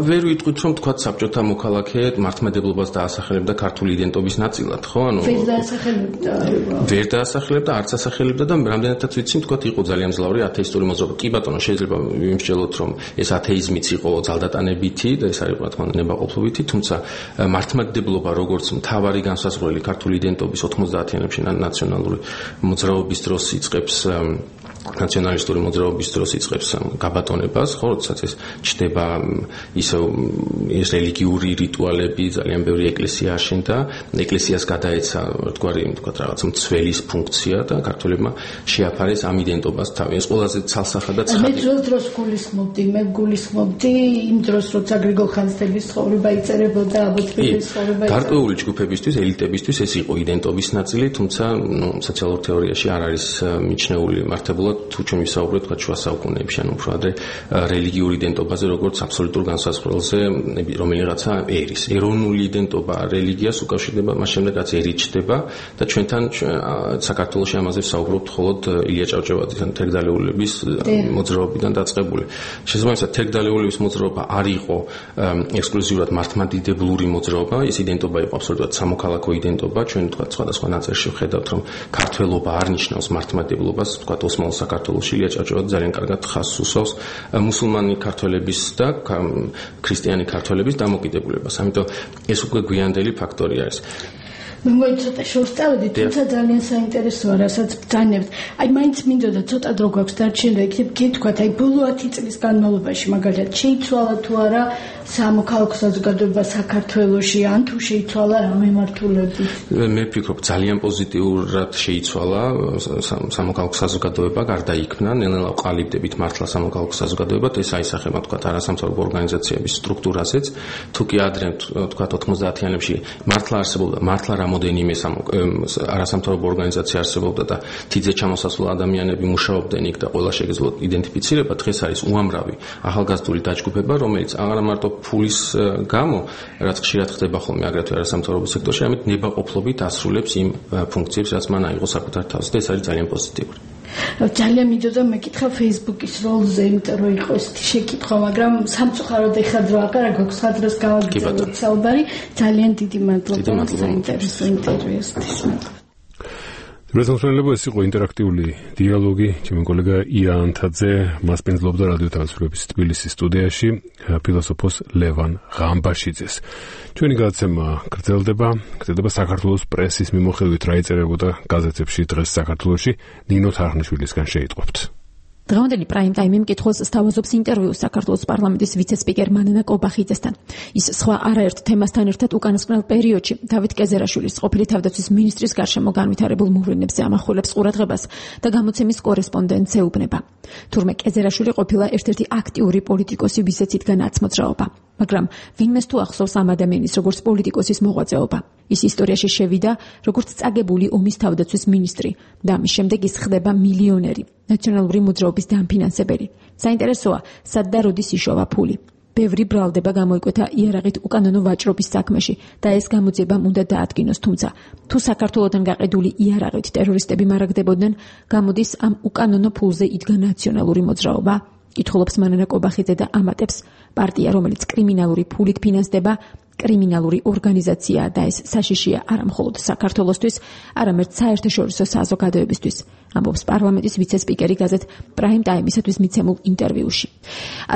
ვერ ვიტყვით, რომ თქვათ საბჭოთა მოქალაქე მართლმადიდებლობას დაასახელებდა ქართული იდენტობის ნაწილად, ხო? ანუ ვერ დაასახელებდა. ვერ დაასახელებდა, არც ასახელებდა და რამდენადაც ვიცი, თქვათ იყო ძალიან მძლავრი ათეისტური მოძრაობა. კი ბატონო, შეიძლება ვიმსჯელოთ, რომ ეს ათეიზმიც იყო ძალდატანებითი და ეს არის რა თქმა უნდა ნებაყოფლობითი, თუმცა მართლმადიდებლობა როგორც მთავარი განსაზღვრელი ქართული იდენტობის ოთხმოცდაათიანებში ნაციონალური მოძრაობის დროს იწყებს ნაციონალისტური მოძრაობის დროს იწყებს გაბატონებას, ხო, როდესაც ეს ჩდება ისე ეს რელიგიური რიტუალები, ძალიან ბევრი ეკლესია აშენდა, ეკლესიას გადაეცა თქვარი, თქვა რაღაცა მცველის ფუნქცია და ქართველებმა შეაფარეს ამ იდენტობას თავი. ეს ყველაზე ცალსახა და ცხადი. მე ძველ დროს გულისხმობდი, მე გულისხმობდი იმ დროს, როცა გრიგოლ ხანძთელის ცხოვრება იწერებოდა, აბოთბელის ცხოვრება. გარკვეული ჯგუფებისთვის, ელიტებისთვის ეს იყო იდენტობის ნაწილი, თუმცა, ნუ, სოციალურ თეორიაში არ არის მიჩნეული მართებულად თუ ჩვენ ვისაუბრებთ თქვა შუა საუკუნეებში, ანუ უფრო ადრე რელიგიური იდენტობაზე, როგორც აბსოლუტურ განსაზღვრელზე, რომელიღაცა ერის. ეროვნული იდენტობა რელიგიას უკავშირდება, მას შემდეგ რაც ერი ჩდება და ჩვენთან საქართველოში ამაზე ვსაუბრობთ მხოლოდ ილია ჭავჭავაძის ან თერგდალეულების მოძრაობიდან დაწყებული. შესაბამისად, თერგდალეულების მოძრაობა არ იყო ექსკლუზიურად მართლმადიდებლური მოძრაობა, ეს იდენტობა იყო აბსოლუტურად სამოქალაქო იდენტობა. ჩვენ თქვა სხვადასხვა ნაწერში ვხედავთ, რომ ქართველობა არ ნიშნავს მართლმადიდებლობას, თქვა ოსმალო საქართველოში ილია ჭავჭავაძე ძალიან კარგად ხაზს უსვავს მუსულმანი ქართველების და ქრისტიანი ქართველების დამოკიდებულებას. ამიტომ ეს უკვე გვიანდელი ფაქტორი არის. მე მგონი ცოტა შორს წავედი, თუმცა ძალიან საინტერესოა, რასაც ბრძანებთ. აი, მაინც მინდოდა ცოტა დრო გვაქვს დარჩენილი და იქნებ გითქვათ, აი, ბოლო ათი წლის განმავლობაში მაგალითად შეიცვალა თუ არა სამოქალაქო საზოგადოება საქართველოში, ან თუ შეიცვალა რა მიმართულებით? მე ვფიქრობ, ძალიან პოზიტიურად შეიცვალა სამოქალაქო საზოგადოება, გარდაიქმნა, ნელ-ნელა ვყალიბდებით მართლა სამოქალაქო საზოგადოებად, ეს აისახება თქვათ არასამთავრობო ორგანიზაციების სტრუქტურაზეც, თუ კი ადრე თქვათ ოთხმოცდაათიანებში მართლა არსებობდა, მართლა რამოდენიმე არასამთავრობო ორგანიზაცია არსებობდა და თიძე ჩამოსასვლელ ადამიანები მუშაობდნენ იქ და ყველა შეგეძლოთ იდენტიფიცირება, დღეს არის უამრავი ახალგაზრდული დაჯგუფება, რომელიც არა მარტო ფულის გამო, რაც ხშირად ხდება ხოლმე აგრეთვე არასამთავრობო სექტორში, ამით ნებაყოფლობით ასრულებს იმ ფუნქციებს, რაც მან აიღო საკუთარ თავზე და ეს არის ძალიან პოზიტიური. ძალიან მინდოდა მეკითხა Facebook-ის როლზე, იმიტომ რომ იყო ესეთი შეკითხვა, მაგრამ სამწუხაროდ ეხლა დრო აღარ გვაქვს, ხადროს გავაგრძელოთ საუბარი. ძალიან დიდი მადლობა საინტერესო ინტერვიუსთვის. რეზოლუციები ეს იყო ინტერაქტიული დიალოგი, ჩემი კოლეგა ია ანთაძე მას პენზლობდა რადიო თავისუფლების თბილისის სტუდიაში ფილოსოფოს ლევან ღამბაშიძეს. ჩვენი გადაცემა გრძელდება, გრძელდება საქართველოს პრესის მიმოხილვით რა იწერებოდა გაზეთებში დღეს საქართველოში, ნინო თარხნიშვილისგან შეიტყობთ. დღევანდელი პრაიმ ტაიმი მკითხველს სთავაზობს ინტერვიუს საქართველოს პარლამენტის ვიცე-სპიკერ მანანა კობახიძესთან. ის სხვა არაერთ თემასთან ერთად უკანასკნელ პერიოდში დავით კეზერაშვილის ყოფილი თავდაცვის მინისტრის გარშემო განვითარებულ მოვლენებზე ამახვილებს ყურადღებას და გამოცემის კორესპონდენტს ეუბნება. თურმე კეზერაშვილი ყოფილა ერთ-ერთი აქტიური პოლიტიკოსი, ვისაც იდგა ნაცმოძრაობა, მაგრამ ვინმეს თუ ახსოვს ამ ადამიანის როგორც პოლიტიკოსის მოღვაწეობა. ის ისტორიაში შევიდა როგორც წაგებული ომის თავდაცვის მინისტრი და ამის შემდეგ ის ხდება მილიონერი, ნაციონალური მოძრაობის დამფინანსებელი. საინტერესოა, სად და როდის იშოვა ფული. ბევრი ბრალდება გამოიკვეთა იარაღით უკანონო ვაჭრობის საქმეში და ეს გამოძიებამ უნდა დაადგინოს, თუმცა თუ საქართველოდან გაყიდული იარაღით ტერორისტები მარაგდებოდნენ, გამოდის ამ უკანონო ფულზე იდგა ნაციონალური მოძრაობა. კითხულობს მანანა კობახიძე და ამატებს, პარტია, რომელიც კრიმინალური ფულით ფინანსდება, კრიმინალური ორგანიზაცია და ეს საშიშია არა მხოლოდ საქართველოსთვის, არამედ საერთაშორისო საზოგადოებისთვის, ამბობს პარლამენტის ვიცე-სპიკერი გაზეთ პრაიმ ტაიმისათვის მიცემულ ინტერვიუში.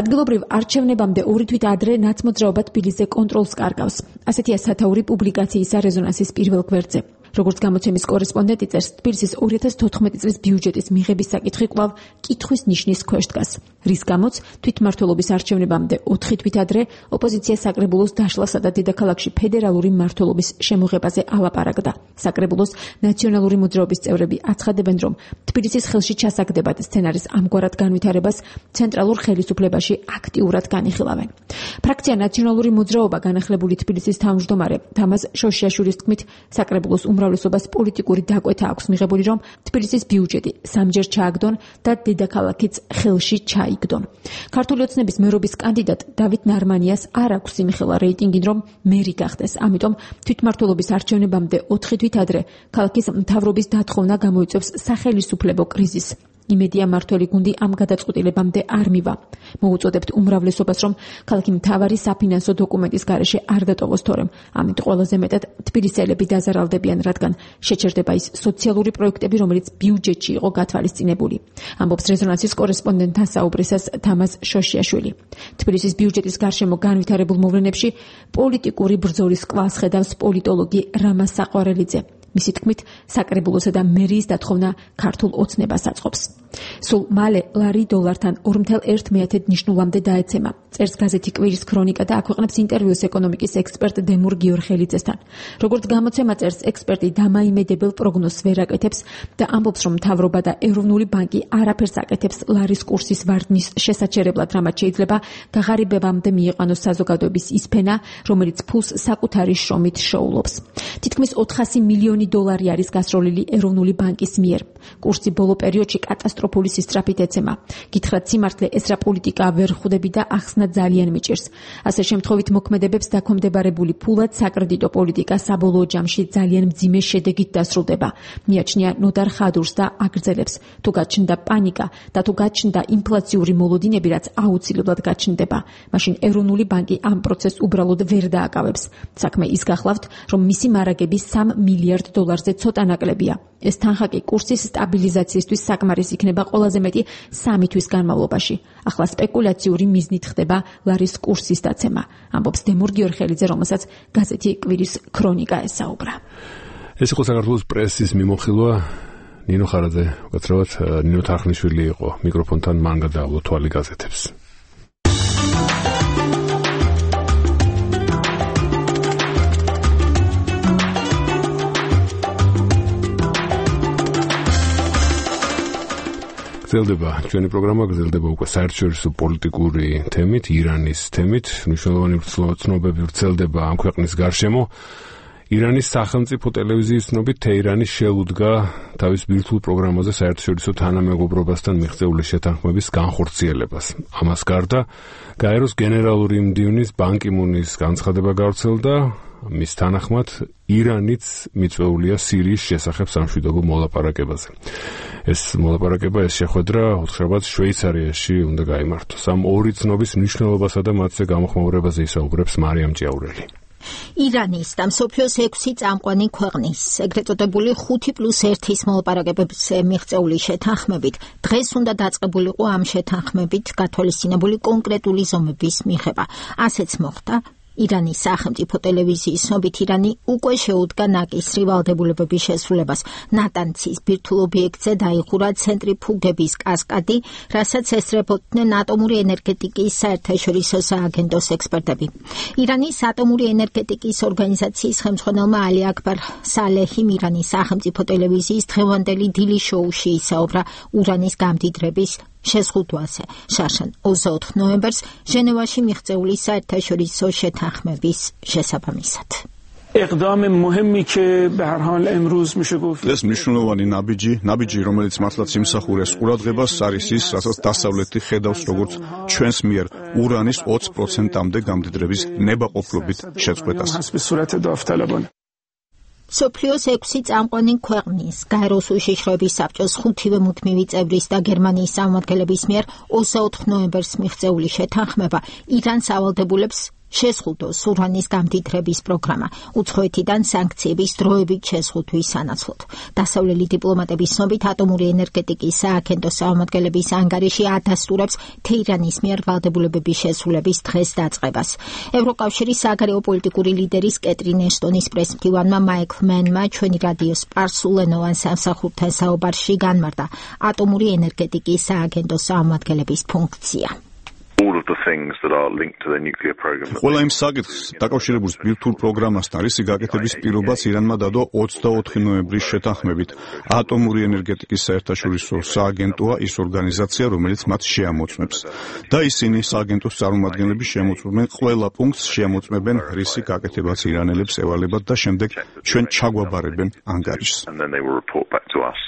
ადგილობრივ არჩევნებამდე ორი თვით ადრე ნაცმოძრაობა თბილისზე კონტროლს კარგავს. ასეთია სათაური პუბლიკაციისა რეზონანსის პირველ გვერდზე. როგორც გამოცემის კორესპონდენტი წერს, თბილისის ორი ათას თოთხმეტი წლის ბიუჯეტის მიღების საკითხი კვლავ კითხვის ნიშნის ქვეშ დგას, რის გამოც თვითმმართველობის არჩევნებამდე ოთხი თვით ადრე ოპოზიცია საკრებულოს დაშლასა და დედაქალაქში ფედერალური მმართველობის შემოღებაზე ალაპარაკდა. საკრებულოს ნაციონალური მოძრაობის წევრები აცხადებენ, რომ თბილისის ხელში ჩასაგდებად სცენარის ამგვარად განვითარებას ცენტრალურ ხელისუფლებაში აქტიურად განიხილავენ. ფრაქცია ნაციონალური მოძრაობა განახლებული თბილისის თავმჯდომარე თამაზ შოშიაშვილის თქმით, საკრებულოს უმრავლესობას პოლიტიკური დაკვეთა აქვს მიღებული, რომ თბილისის ბიუჯეტი სამჯერ ჩააგდონ და დედაქალაქიც ხელში ჩაიგდონ. ქართული ოცნების მერობის კანდიდატ დავით ნარმანიას არ აქვს იმხელა რეიტინგი, რომ მერი გახდეს. ამიტომ თვითმმართველობის არჩევნებამდე ოთხი თვით ადრე ქალაქის მთავრობის დათხოვნა გამოიწვევს სახელისუფლებო კრიზისს. იმედია მართველი გუნდი ამ გადაწყვეტილებამდე არ მივა. მოუწოდებთ უმრავლესობას, რომ ქალაქი მთავარი საფინანსო დოკუმენტის გარეშე არ დატოვოს, თორემ ამით ყველაზე მეტად თბილისელები დაზარალდებიან, რადგან შეჩერდება ის სოციალური პროექტები, რომელიც ბიუჯეტში იყო გათვალისწინებული. ამბობს რეზონანსის კორესპონდენტთან საუბრისას თამაზ შოშიაშვილი. თბილისის ბიუჯეტის გარშემო განვითარებულ მოვლენებში პოლიტიკური ბრძოლის კვალს ხედავს პოლიტოლოგი რამა საყვარელიძე. მისი თქმით, საკრებულოსა და მერიის დათხოვნა ქართულ ოცნებას აწყობს. სულ მალე ლარი დოლართან ორ მეთრ ერთ მეათედ ნიშნულამდე დაეცემა. წერს გაზეთი კვირის ქრონიკა და აქვეყნებს ინტერვიუს ეკონომიკის ექსპერტ დემურ გიორხელიძესთან. როგორც გამოცემა წერს, ექსპერტი დამაიმედებელ პროგნოზს ვერ აკეთებს და ამბობს, რომ მთავრობა და ეროვნული ბანკი არაფერს აკეთებს ლარის კურსის ვარდნის შესაჩერებლად, რამაც შეიძლება გაღარიბებამდე მიიყვანოს საზოგადოების ის ფენა, რომელიც ფულს საკუთარი შრომით შოულობს. თითქმის ოთხასი მილიონი დოლარი არის გასროლილი ეროვნული ბანკის მიერ. კურსი ბოლო პერიოდში კატასტროფული სისწრაფით ეცემა. გითხრათ სიმართლე, ეს რა პოლიტიკა ვერ ხვდები და ახსნა ძალიან მიჭირს. ასე შემთხვევით მოქმედებებს დაქვემდებარებული ფულად საკრედიტო პოლიტიკა საბოლოო ჯამში ძალიან მძიმე შედეგით დასრულდება. მიაჩნია ნოდარ ხადურს და აგრძელებს. თუ გაჩნდა პანიკა და თუ გაჩნდა ინფლაციური მოლოდინები, რაც აუცილებლად გაჩნდება, მაშინ ეროვნული ბანკი ამ პროცესს უბრალოდ ვერ დააკავებს. საქმე ის გახლავთ, რომ მისი მარაგები სამ მილიარდ დოლარზე ცოტა ნაკლებია. ეს თანხა კი კურსის სტაბილიზაციისთვის საკმარის იქნება ყველაზე მეტი სამი თვის განმავლობაში. ახლა სპეკულაციური მიზნით ხდება ლარის კურსის დაცემა, ამბობს დემურ გიორხელიძე, რომელსაც გაზეთი კვირის ქრონიკა ესაუბრა. ეს იყო საქართველოს პრესის მიმოხილვა. ნინო ხარაძე, უკაცრავად ნინო თარხნიშვილი იყო მიკროფონთან, მან გადაავლო თვალი გაზეთებს. გრძელდება ჩვენი პროგრამა, გრძელდება უკვე საერთაშორისო პოლიტიკური თემით, ირანის თემით. მნიშვნელოვანი ცნობები ვრცელდება ამ ქვეყნის გარშემო. ირანის სახელმწიფო ტელევიზიის ცნობით, თეირანი შეუდგა თავის ბირთვულ პროგრამაზე საერთაშორისო თანამეგობრობასთან მიღწეული შეთანხმების განხორციელებას. ამას გარდა, გაეროს გენერალური მდივნის ბან კი მუნის განცხადება გავრცელდა. მის თანახმად, ირანიც მიწვეულია სირიის შესახებ სამშვიდობო მოლაპარაკებაზე. ეს მოლაპარაკება, ეს შეხვედრა ოთხშაბათს შვეიცარიაში უნდა გაიმართოს. ამ ორი ცნობის მნიშვნელობასა და მათზე გამოხმაურებაზე ისაუბრებს მარიამ ჭიაურელი. ირანის და მსოფლიოს ექვსი წამყვანი ქვეყნის ეგრეთ წოდებული ხუთი პლუს ერთის მოლაპარაკებებზე მიღწეული შეთანხმებით დღეს უნდა დაწყებულიყო ამ შეთანხმებით გათვალისწინებული კონკრეტული ზომების მიღება. ასეც მოხდა. ირანის სახელმწიფო ტელევიზიის ცნობით, ირანი უკვე შეუდგა ნაკისრი ვალდებულებების შესრულებას. ნატანცის ბირთვულ ობიექტზე დაიხურა ცენტრიფუგების კასკადი, რასაც ესწრებოდნენ ატომური ენერგეტიკის საერთაშორისო სააგენტოს ექსპერტები. ირანის ატომური ენერგეტიკის ორგანიზაციის ხელმძღვანელმა ალი აკბარ სალეჰიმ ირანის სახელმწიფო ტელევიზიის დღევანდელი დილის შოუში ისაუბრა ურანის გამდიდრების შეზღუდვაზე. შარშან ოცდაოთხ ნოემბერს ჟენევაში მიღწეული საერთაშორისო შეთანხმების შესაბამისად. اقدام مهمی که به هر حال امروز میشه گفت ეს მნიშვნელოვანი ნაბიჯი, ნაბიჯი, რომელიც მართლაც იმსახურეს ყურადღებას, არის ის, რასაც დასავლეთი ხედავს როგორც ჩვენს მიერ ურანის ოცი პროცენტამდე გამდიდრების ნებაყოფლობით შეწყვეტას. სოფლიოს ექვსი წამყვანი ქვეყნის გაეროს უშიშროების საბჭოს ხუთივე მუდმივი წევრის და გერმანიის წარმომადგენლების მიერ ოცდაოთხ ნოემბერს მიღწეული შეთანხმება ირანს ავალდებულებს შეზღუდოს ურანის გამდიდრების პროგრამა, უცხოეთიდან სანქციების დროებით შეზღუდვის სანაცვლოდ. დასავლელი დიპლომატების ცნობით, ატომური ენერგეტიკის სააგენტოს წარმომადგენლების ანგარიში ადასტურებს თეირანის მიერ ვალდებულებების შესრულების დღეს დაწყებას. ევროკავშირის საგარეო პოლიტიკური ლიდერის კეტრინ ეშტონის პრესმდივანმა მაიკლ მენმა ჩვენი რადიოს სპარსულენოვან სამსახურთან საუბარში განმარტა ატომური ენერგეტიკის სააგენტოს წარმომადგენლების ფუნქცია. all of the things that are linked to their nuclear program. ყველა იმ საკითხს დაკავშირებულ ბირთვულ პროგრამასთან რისი გაკეთების პირობაც ირანმა დადო ოცდაოთხი ნოემბრის შეთანხმებით. ატომური ენერგეტიკის საერთაშორისო სააგენტოა ის ორგანიზაცია, რომელიც მათ შეამოწმებს. და ისინი სააგენტოს წარმომადგენლები შემოწმებენ ყველა პუნქტს, შემოწმებენ რისი გაკეთებაც ირანელებს ევალებათ და შემდეგ ჩვენ ჩაგვაბარებენ ანგარიშს. And then they will report back to us.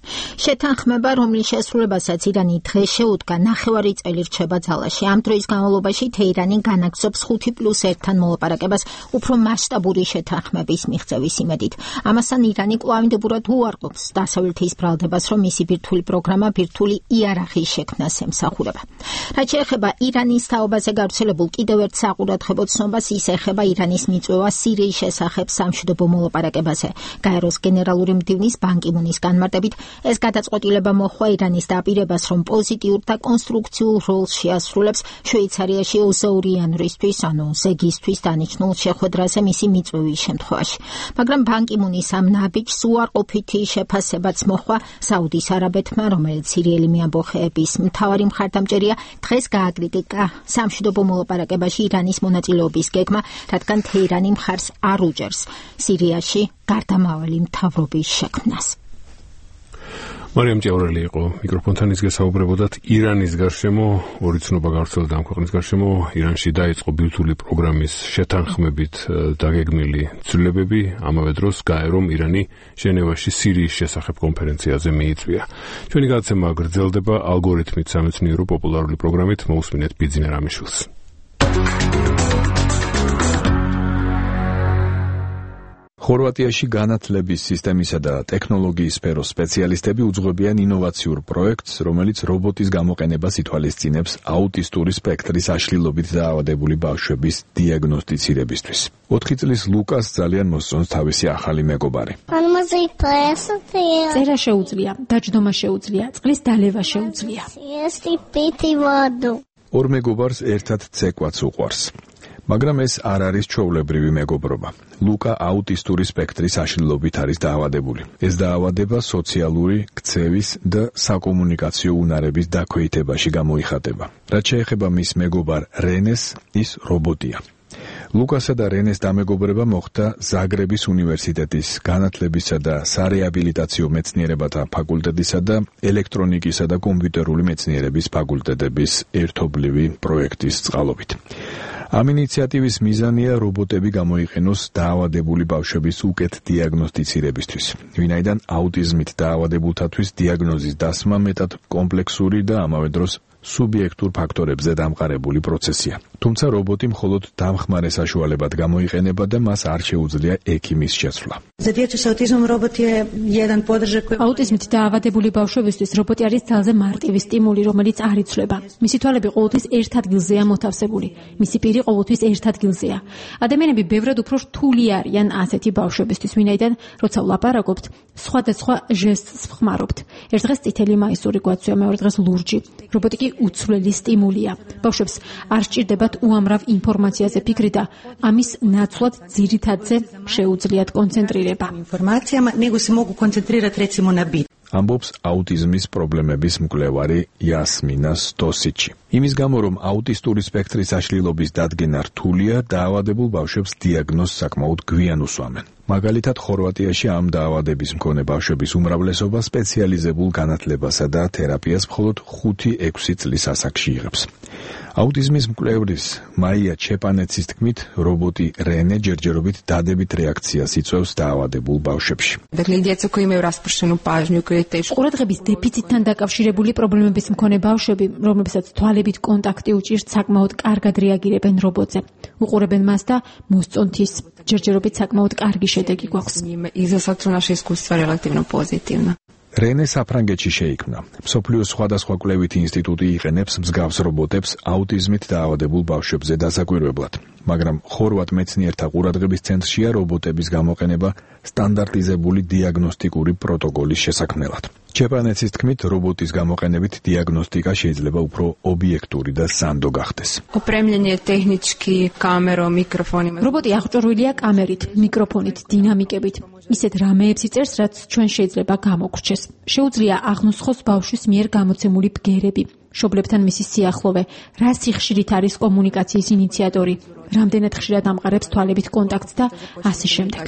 შეთანხმება, რომლის შესრულებასაც ირანი დღეს შეუდგა, ნახევარი წელი რჩება ძალაში. ამ დროის განმავლობაში თეირანი განაგრძობს ხუთი პლუს ერთთან მოლაპარაკებას უფრო მასშტაბური შეთანხმების მიღწევის იმედით. ამასთან ირანი კვლავინდებურად უარყოფს დასავლეთის ბრალდებას, რომ მისი ბირთვული პროგრამა ბირთვული იარაღის შექმნას ემსახურება. რაც შეეხება ირანის თაობაზე გავრცელებულ კიდევ ერთ საყურადღებო ცნობას, ის ეხება ირანის მიწვევა სირიის შესახებ სამშვიდობო მოლაპარაკებაზე. გაეროს გენერალური მდივნის ბან კი მუნის განმარტებით, ეს გადაწყვეტილება მოჰყვა ირანის დაპირებას, რომ პოზიტიურ და კონსტრუქციულ როლს შეასრულებს შვეიცარიაში ოზაურიანვრისთვის, ანუ ზეგისთვის დანიშნულ შეხვედრაზე მისი მიწვევის შემთხვევაში. მაგრამ ბან კი მუნის ამ ნაბიჯს უარყოფითი შეფასებაც მოჰყვა საუდის არაბეთმა, რომელიც სირიელი მეამბოხეების მთავარი მხარდამჭერია, დღეს გააკრიტიკა სამშვიდობო მოლაპარაკებაში ირანის მონაწილეობის გეგმა, რადგან თეირანი მხარს არ უჭერს სირიაში გარდამავალი მთავრობის შექმნას. მარიამ ჭიაურელი იყო მიკროფონთან, ის გესაუბრებოდათ ირანის გარშემო, ორი ცნობა გავრცელდა ამ ქვეყნის გარშემო. ირანში დაიწყო ბირთვული პროგრამის შეთანხმებით დაგეგმილი ცვლილებები, ამავე დროს გაერომ ირანი ჟენევაში სირიის შესახებ კონფერენციაზე მიიწვია. ჩვენი გადაცემა გრძელდება ალგორითმით სამეცნიერო პოპულარული პროგრამით, მოусმინეთ ბიძინა რამიშვილს. ხორვატიაში განათლების სისტემისა და ტექნოლოგიის სფეროს სპეციალისტები უძღვებიან ინოვაციურ პროექტს, რომელიც რობოტის გამოყენებას ითვალისწინებს აუტისტური სპექტრის აშლილობით დაავადებული ბავშვების დიაგნოსტიცირებისთვის. ოთხი წლის ლუკას ძალიან მოსწონს თავისი ახალი მეგობარი. წერა შეუძლია, დაჯდომა შეუძლია, წყლის დალევა შეუძლია. ორ მეგობარს ერთად ცეკვაც უყვარს. მაგრამ ეს არ არის ჩვეულებრივი მეგობრობა. ლუკა აუტისტური სპექტრის აშლილობით არის დაავადებული. ეს დაავადება სოციალური, ქცევის და საკომუნიკაციო უნარების დაქვეითებაში გამოიხატება. რაც შეეხება მის მეგობარ რენეს, ის რობოტია. ლუკასა და რენეს დამეგობრება მოხდა ზაგრების უნივერსიტეტის განათლებისა და სარეაბილიტაციო მეცნიერებათა ფაკულტეტისა და ელექტრონიკისა და კომპიუტერული მეცნიერების ფაკულტეტების ერთობლივი პროექტის წყალობით. ამ ინიციატივის მიზანია რობოტები გამოიყენოს დაავადებული ბავშვების უკეთ დიაგნოსტიცირებისთვის, ვინაიდან აუტიზმით დაავადებულთათვის დიაგნოზის დასმა მეტად კომპლექსური და ამავე დროს სუბიექტურ ფაქტორებზე დამყარებული პროცესია. თუმცა რობოტი მხოლოდ დამხმარე საშუალებად გამოიყენება და მას არ შეუძლია ექიმის შეცვლა. აუტიზმით დაავადებული ბავშვებისთვის რობოტი არის ძალზე მარტივი სტიმული, რომელიც არ იცვლება. მისი თვალები ყოველთვის ერთ ადგილზეა მოთავსებული. მისი პირი ყოველთვის ერთ ადგილზეა. ადამიანები ბევრად უფრო რთული არიან ასეთი ბავშვებისთვის, ვინაიდან როცა ვლაპარაკობთ, სხვადასხვა ჟესტს ვხმარობთ. ერთ დღეს წითელი მაისური გვაცვია, მეორე დღეს ლურჯი. რობოტი კი უცვლელი სტიმულია. ბავშვებს არ სჭირდებათ უამრავ ინფორმაციაზე ფიქრი და ამის ნაცვლად ძირითადზე შეუძლიათ კონცენტრირება. ამბობს აუტიზმის პრობლემების მკვლევარი იასმინა სტოსიჩი. იმის გამო, რომ აუტისტური სპექტრის აშლილობის დადგენა რთულია, დაავადებულ ბავშვებს დიაგნოზს საკმაოდ გვიან უსვამენ. მაგალითად, ხორვატიაში ამ დაავადების მქონე ბავშვების უმრავლესობა სპეციალიზებულ განათლებასა და თერაპიას მხოლოდ ხუთი ექვსი წლის ასაკში იღებს. აუტიზმის მკვლევრის მაია ჩეპანეცის თქმით, რობოტი რენე ჯერჯერობით დადებით რეაქციას იწვევს დაავადებულ ბავშვებში. ყურადღების დეფიციტთან დაკავშირებული პრობლემების მქონე ბავშვები, რომლებსაც თვალებით კონტაქტი უჭირთ, საკმაოდ კარგად რეაგირებენ რობოტზე. უყურებენ მას და მოსწონთ ის. ჯერჯერობით საკმაოდ კარგი შედეგი გვაქვს. რენე საფრანგეთში შეიქმნა. მსოფლიოს სხვადასხვა კვლევითი ინსტიტუტი იყენებს მსგავს რობოტებს აუტიზმით დაავადებულ ბავშვებზე დასაკვირვებლად, მაგრამ ხორვატ მეცნიერთა ყურადღების ცენტრშია რობოტების გამოყენება სტანდარტიზებული დიაგნოსტიკური პროტოკოლის შესაქმნელად. ჩეპანეცის თქმით, რობოტის გამოყენებით დიაგნოსტიკა შეიძლება უფრო ობიექტური და სანდო გახდეს. რობოტი აღჭურვილია კამერით, მიკროფონით, დინამიკებით. ისეთ რამეებს იწერს, რაც ჩვენ შეიძლება გამოგრჩეს. შეუძლია აღმოსხოს ბავშვის მიერ გამოცემული ბგერები. მშობლებთან მისი სიახლოვე, რა სიხშირით არის კომუნიკაციის ინიციატორი, რამდენად ხშირად ამყარებს თვალებით კონტაქტს და ასე შემდეგ.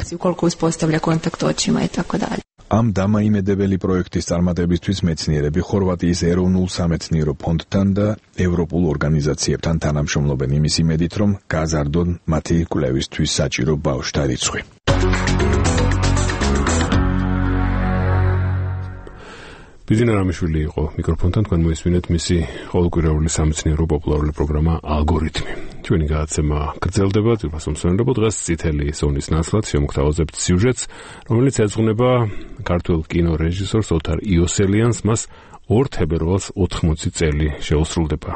ამ დამაიმედებელი პროექტის წარმატებისთვის მეცნიერები ხორვატიის ეროვნულ სამეცნიერო ფონდთან და ევროპულ ორგანიზაციებთან თანამშრომლობენ იმის იმედით, რომ გაზარდონ მათი კვლევისთვის საჭირო ბავშვთა რიცხვი. ბიზინა რამიშვილი იყო მიკროფონთან, თქვენ მოისმინეთ მისი ყოველკვირეული სამეცნიერო პოპულარული პროგრამა ალგორითმი. ჩვენი გადაცემა გრძელდება, ძვირფას მომსვენებლობ დღეს წითელი ზონის ნაცვლად შემოგთავაზებთ სიუჟეტს, რომელიც ეძღვნება ქართველ კინორეჟისორს ოთარ იოსელიანს, მას ორ თებერვალს ოთხმოცი წელი შეუსრულდება.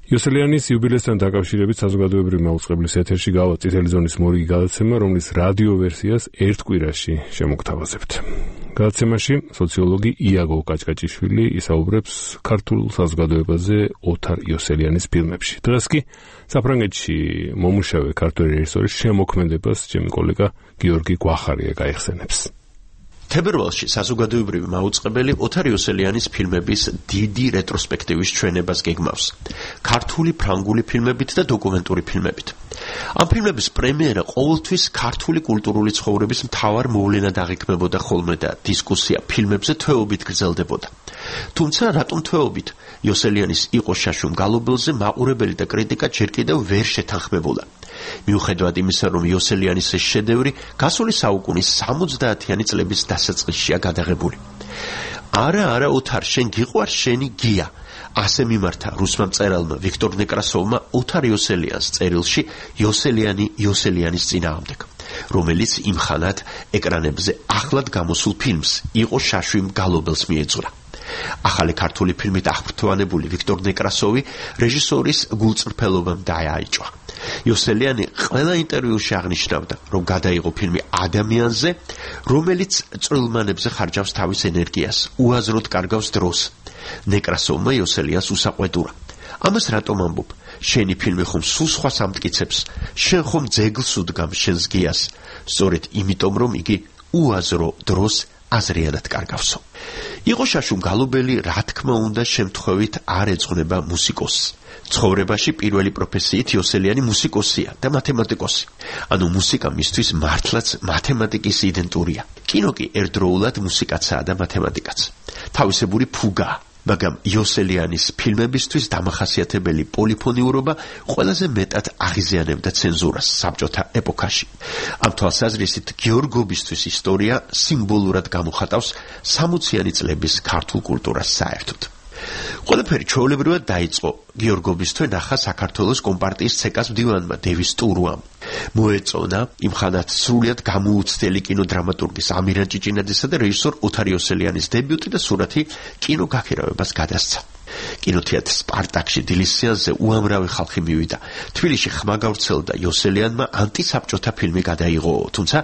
იოსელიანის იუბილესთან დაკავშირებით საზოგადოებრივი მაუწყებლის ეთერში გავა წითელი ზონის მორიგი გადაცემა, რომლის რადიო ვერსიას ერთ კვირაში შემოგთავაზებთ. გადაცემაში სოციოლოგი იაგო კაჭკაჭიშვილი ისაუბრებს ქართულ საზოგადოებაზე ოთარ იოსელიანის ფილმებში. დღეს კი საფრანგეთში მომუშავე ქართველი რეჟისორის შემოქმედებას ჩემი კოლეგა გიორგი გვახარია გაიხსენებს. თებერვალში საზოგადოებრივი მაუწყებელი ოთარ იოსელიანის ფილმების დიდი რეტროსპექტივის ჩვენებას გეგმავს. ქართული, ფრანგული ფილმებით და დოკუმენტური ფილმებით. ამ ფილმების პრემიერა ყოველთვის ქართული კულტურული ცხოვრების მთავარ მოვლენად აღიქმებოდა ხოლმე და დისკუსია ფილმებზე თვეობით გრძელდებოდა. თუმცა რატომ თვეობით? იოსელიანის იყო შაშუმ გალობელზე მაყურებელი და კრიტიკა ჯერ კიდევ ვერ შეთანხმებულა. მიუხედავად იმისა, რომ იოსელიანის ეს შედევრი გასული საუკუნის სამოცდაათიანი წლების დასაწყისშია გადაღებული. არა, არა, ოთარ, შენ გიყვარს შენი გია. ასე მიმართა რუსმა მწერალმა ვიქტორ ნეკრასოვმა ოთარ იოსელიანს წერილში იოსელიანი იოსელიანის წინააღმდეგ, რომელიც იმხანად ეკრანებზე ახლად გამოსულ ფილმს იყო შაშვიმ გალობელს მიეძღვნა. ახალი ქართული ფილმით აღფრთოვანებული ვიქტორ ნეკრასოვი რეჟისორის გულწრფელობამ დააიჭვა. იოსელიანი ყველა ინტერვიუში აღნიშნავდა, რომ გადაიღო ფილმი ადამიანზე, რომელიც წვრილმანებზე ხარჯავს თავის ენერგიას, უაზროდ კარგავს დროს. ნეკრასოვმა იოსელიანს უსაყვედურა. ამას რატომ ამბობ? შენი ფილმი ხომ სულ სხვა სამტკიცებს, შენ ხომ ძეგლს უდგამ შენს გიას, სწორედ იმიტომ, რომ იგი უაზრო დროს აზრიანად კარგავსო. იყო შაშუმ გალობელი, რა თქმა უნდა, შემთხვევით არ ეძღვნება მუსიკოსს. ცხოვრებაში პირველი პროფესიით იოსელიანი მუსიკოსია და მათემატიკოსი. ანუ მუსიკა მისთვის მართლაც მათემატიკის იდენტურია. კინო კი ერთდროულად მუსიკაცაა და მათემატიკაც. თავისებური ფუგაა. მაგრამ იოსელიანის ფილმებისთვის დამახასიათებელი პოლიფონიურობა ყველაზე მეტად აღიზიანებდა ცენზურას საბჭოთა ეპოქაში. ამ თვალსაზრისით გიორგობისთვის ისტორია სიმბოლურად გამოხატავს სამოციანი წლების ქართულ კულტურას საერთოდ. ყველაფერი ჩვეულებრივად დაიწყო გიორგობის თვე ნახა საქართველოს კომპარტიის ცეკას მდივანმა დევის ტურუამ. მოეწონა იმხანად სრულიად გამოუცდელი კინოდრამატურგის ამირან ჭიჭინაძესა და რეჟისორ ოთარ იოსელიანის დებიუტი და სურათი კინოგაქირავებას გადასცა. კინოთეატრ სპარტაკში დილის სეანსზე უამრავი ხალხი მივიდა. თბილისში ხმა გავრცელდა იოსელიანმა ანტისაბჭოთა ფილმი გადაიღო, თუმცა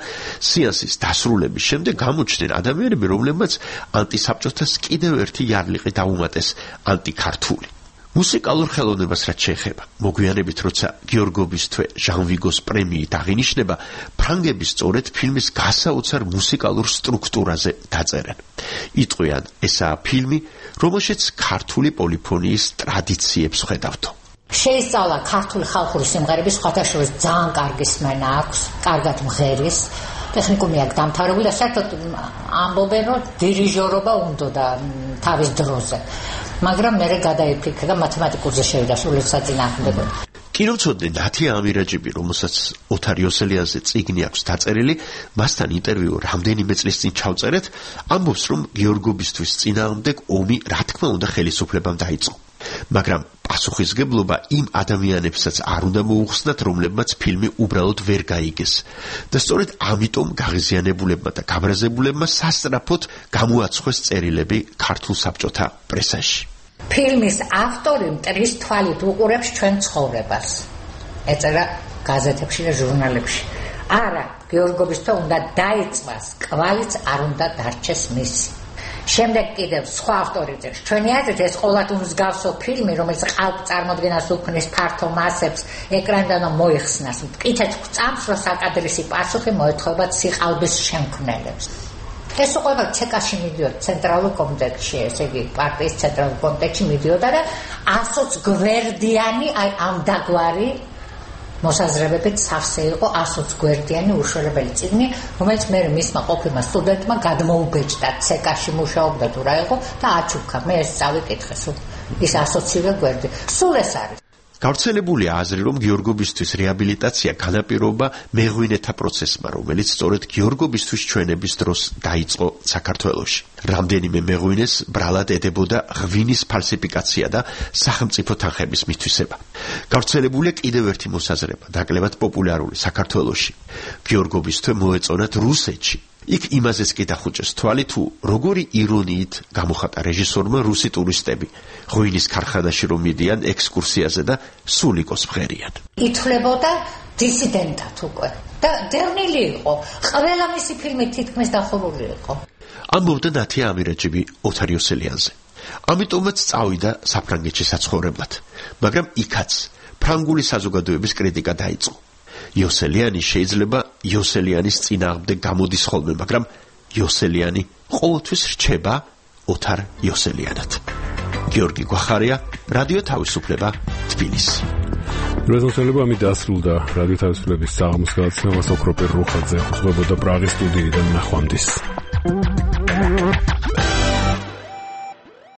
სეანსის დასრულების შემდეგ გამოჩნდნენ ადამიანები, რომლებმაც ანტისაბჭოთას კიდევ ერთი იარლიყი დაუმატეს ანტიქართული. მუსიკალურ ხელოვნებას რაც შეეხება, მოგვიანებით როცა გიორგობის თვე ჟან ვიგოს პრემიით აღინიშნება, ფრანგები სწორედ ფილმის გასაოცარ მუსიკალურ სტრუქტურაზე დაწერენ. იტყვიან, ესაა ფილმი, რომელშიც ქართული პოლიფონიის ტრადიციებს ხედავთო. შეისწავლა ქართული ხალხური სიმღერების სხვათა შორის ძალიან კარგი სმენა აქვს, კარგად მღერის, ტექნიკუმი აქვს დამთავრებული და საერთოდ ამბობენ, რომ დირიჟორობა უნდოდა თავის დროზე. მაგრამ მე გადაიფიქრე და მათემატიკურზე შევიდა სრულად საწინააღმდეგოდ. კინომცოდნე ნათია ამირაჯიბი, რომელსაც ოთარ იოსელიანზე წიგნი აქვს დაწერილი, მასთან ინტერვიუ რამდენიმე წლის წინ ჩავწერეთ, ამბობს, რომ გიორგობისთვის წინააღმდეგ ომი რა თქმა უნდა ხელისუფლებამ დაიწყო. მაგრამ პასუხისგებლობა იმ ადამიანებსაც არ უნდა მოუხსნათ, რომლებმაც ფილმი უბრალოდ ვერ გაიგეს. და სწორედ ამიტომ გაღიზიანებულებმა და გაბრაზებულებმა სასწრაფოდ გამოაცხვეს წერილები ქართულ საბჭოთა პრესაში. ფილმის ავტორი მტრის თვალით უყურებს ჩვენ ცხოვრებას. ეწერა გაზეთებში და ჟურნალებში. არა, გიორგობის თვე უნდა დაიწყოს, კვალიც არ უნდა დარჩეს მისი. შემდეგ კიდევ სხვა ავტორი წერს, ჩვენი აზრით ეს ყოველთ მსგავსო ფილმი, რომელიც ყალბ წარმოდგენას უქმნის ფართო მასებს, ეკრანიდან მოიხსნას. მტკიცეთ გვწამს, რომ საკადრისი პასუხი მოეთხოვება სიყალბის შემქმნელებს. ეს უკვე ცეკაში მიდიოდა ცენტრალურ კომიტეტში, ესე იგი პარტიის ცენტრალურ კომიტეტში მიდიოდა და ასოც გვერდიანი აი ამ დაგვარი მოსაზრებებით სავსე იყო ასოც გვერდიანი უშველებელი წიგნი, რომელიც მე მისმა ყოფილმა სტუდენტმა გადმოუბეჭდა ცეკაში მუშაობდა თუ რა იყო და აჩუქა. მე ეს წავიკითხე სულ ის ასოცირე გვერდი. სულ ეს არის. გავრცელებულია აზრი, რომ გიორგობისთვის რეაბილიტაცია განაპირობა მეღვინეთა პროცესმა, რომელიც სწორედ გიორგობისთვის ჩვენების დროს დაიწყო საქართველოში. რამდენიმე მეღვინეს ბრალად ედებოდა ღვინის ფალსიფიკაცია და სახელმწიფო თანხების მითვისება. გავრცელებულია კიდევ ერთი მოსაზრება, დაკლებად პოპულარული საქართველოში. გიორგობისთვის მოეწონათ რუსეთში. იქ იმაზეც კი დახუჭეს თვალი, თუ როგორი ირონიით გამოხატა რეჟისორმა რუსი ტურისტები ღვინის ქარხანაში რომ მიდიან ექსკურსიაზე და სულ იყოს მღერიან. ითვლებოდა დისიდენტად უკვე და დევნილი იყო. ყველა მისი ფილმი თითქმის დახურული იყო. ამბობდა ნათია ამირაჯიბი ოთარ იოსელიანზე. ამიტომაც წავიდა საფრანგეთში საცხოვრებლად, მაგრამ იქაც ფრანგული საზოგადოების კრიტიკა დაიწყო. იოსელიანი შეიძლება იოსელიანის წინააღმდეგ გამოდის ხოლმე, მაგრამ იოსელიანი ყოველთვის რჩება ოთარ იოსელიანად. გიორგი გვახარია, რადიო თავისუფლება, თბილისი. რეზოლუცია ამით დასრულდა რადიო თავისუფლების საღამოს გადაცემა. ოქროპერ რუხაძე ხუხებოდა პრაღის სტუდიიდან ნახვამდის.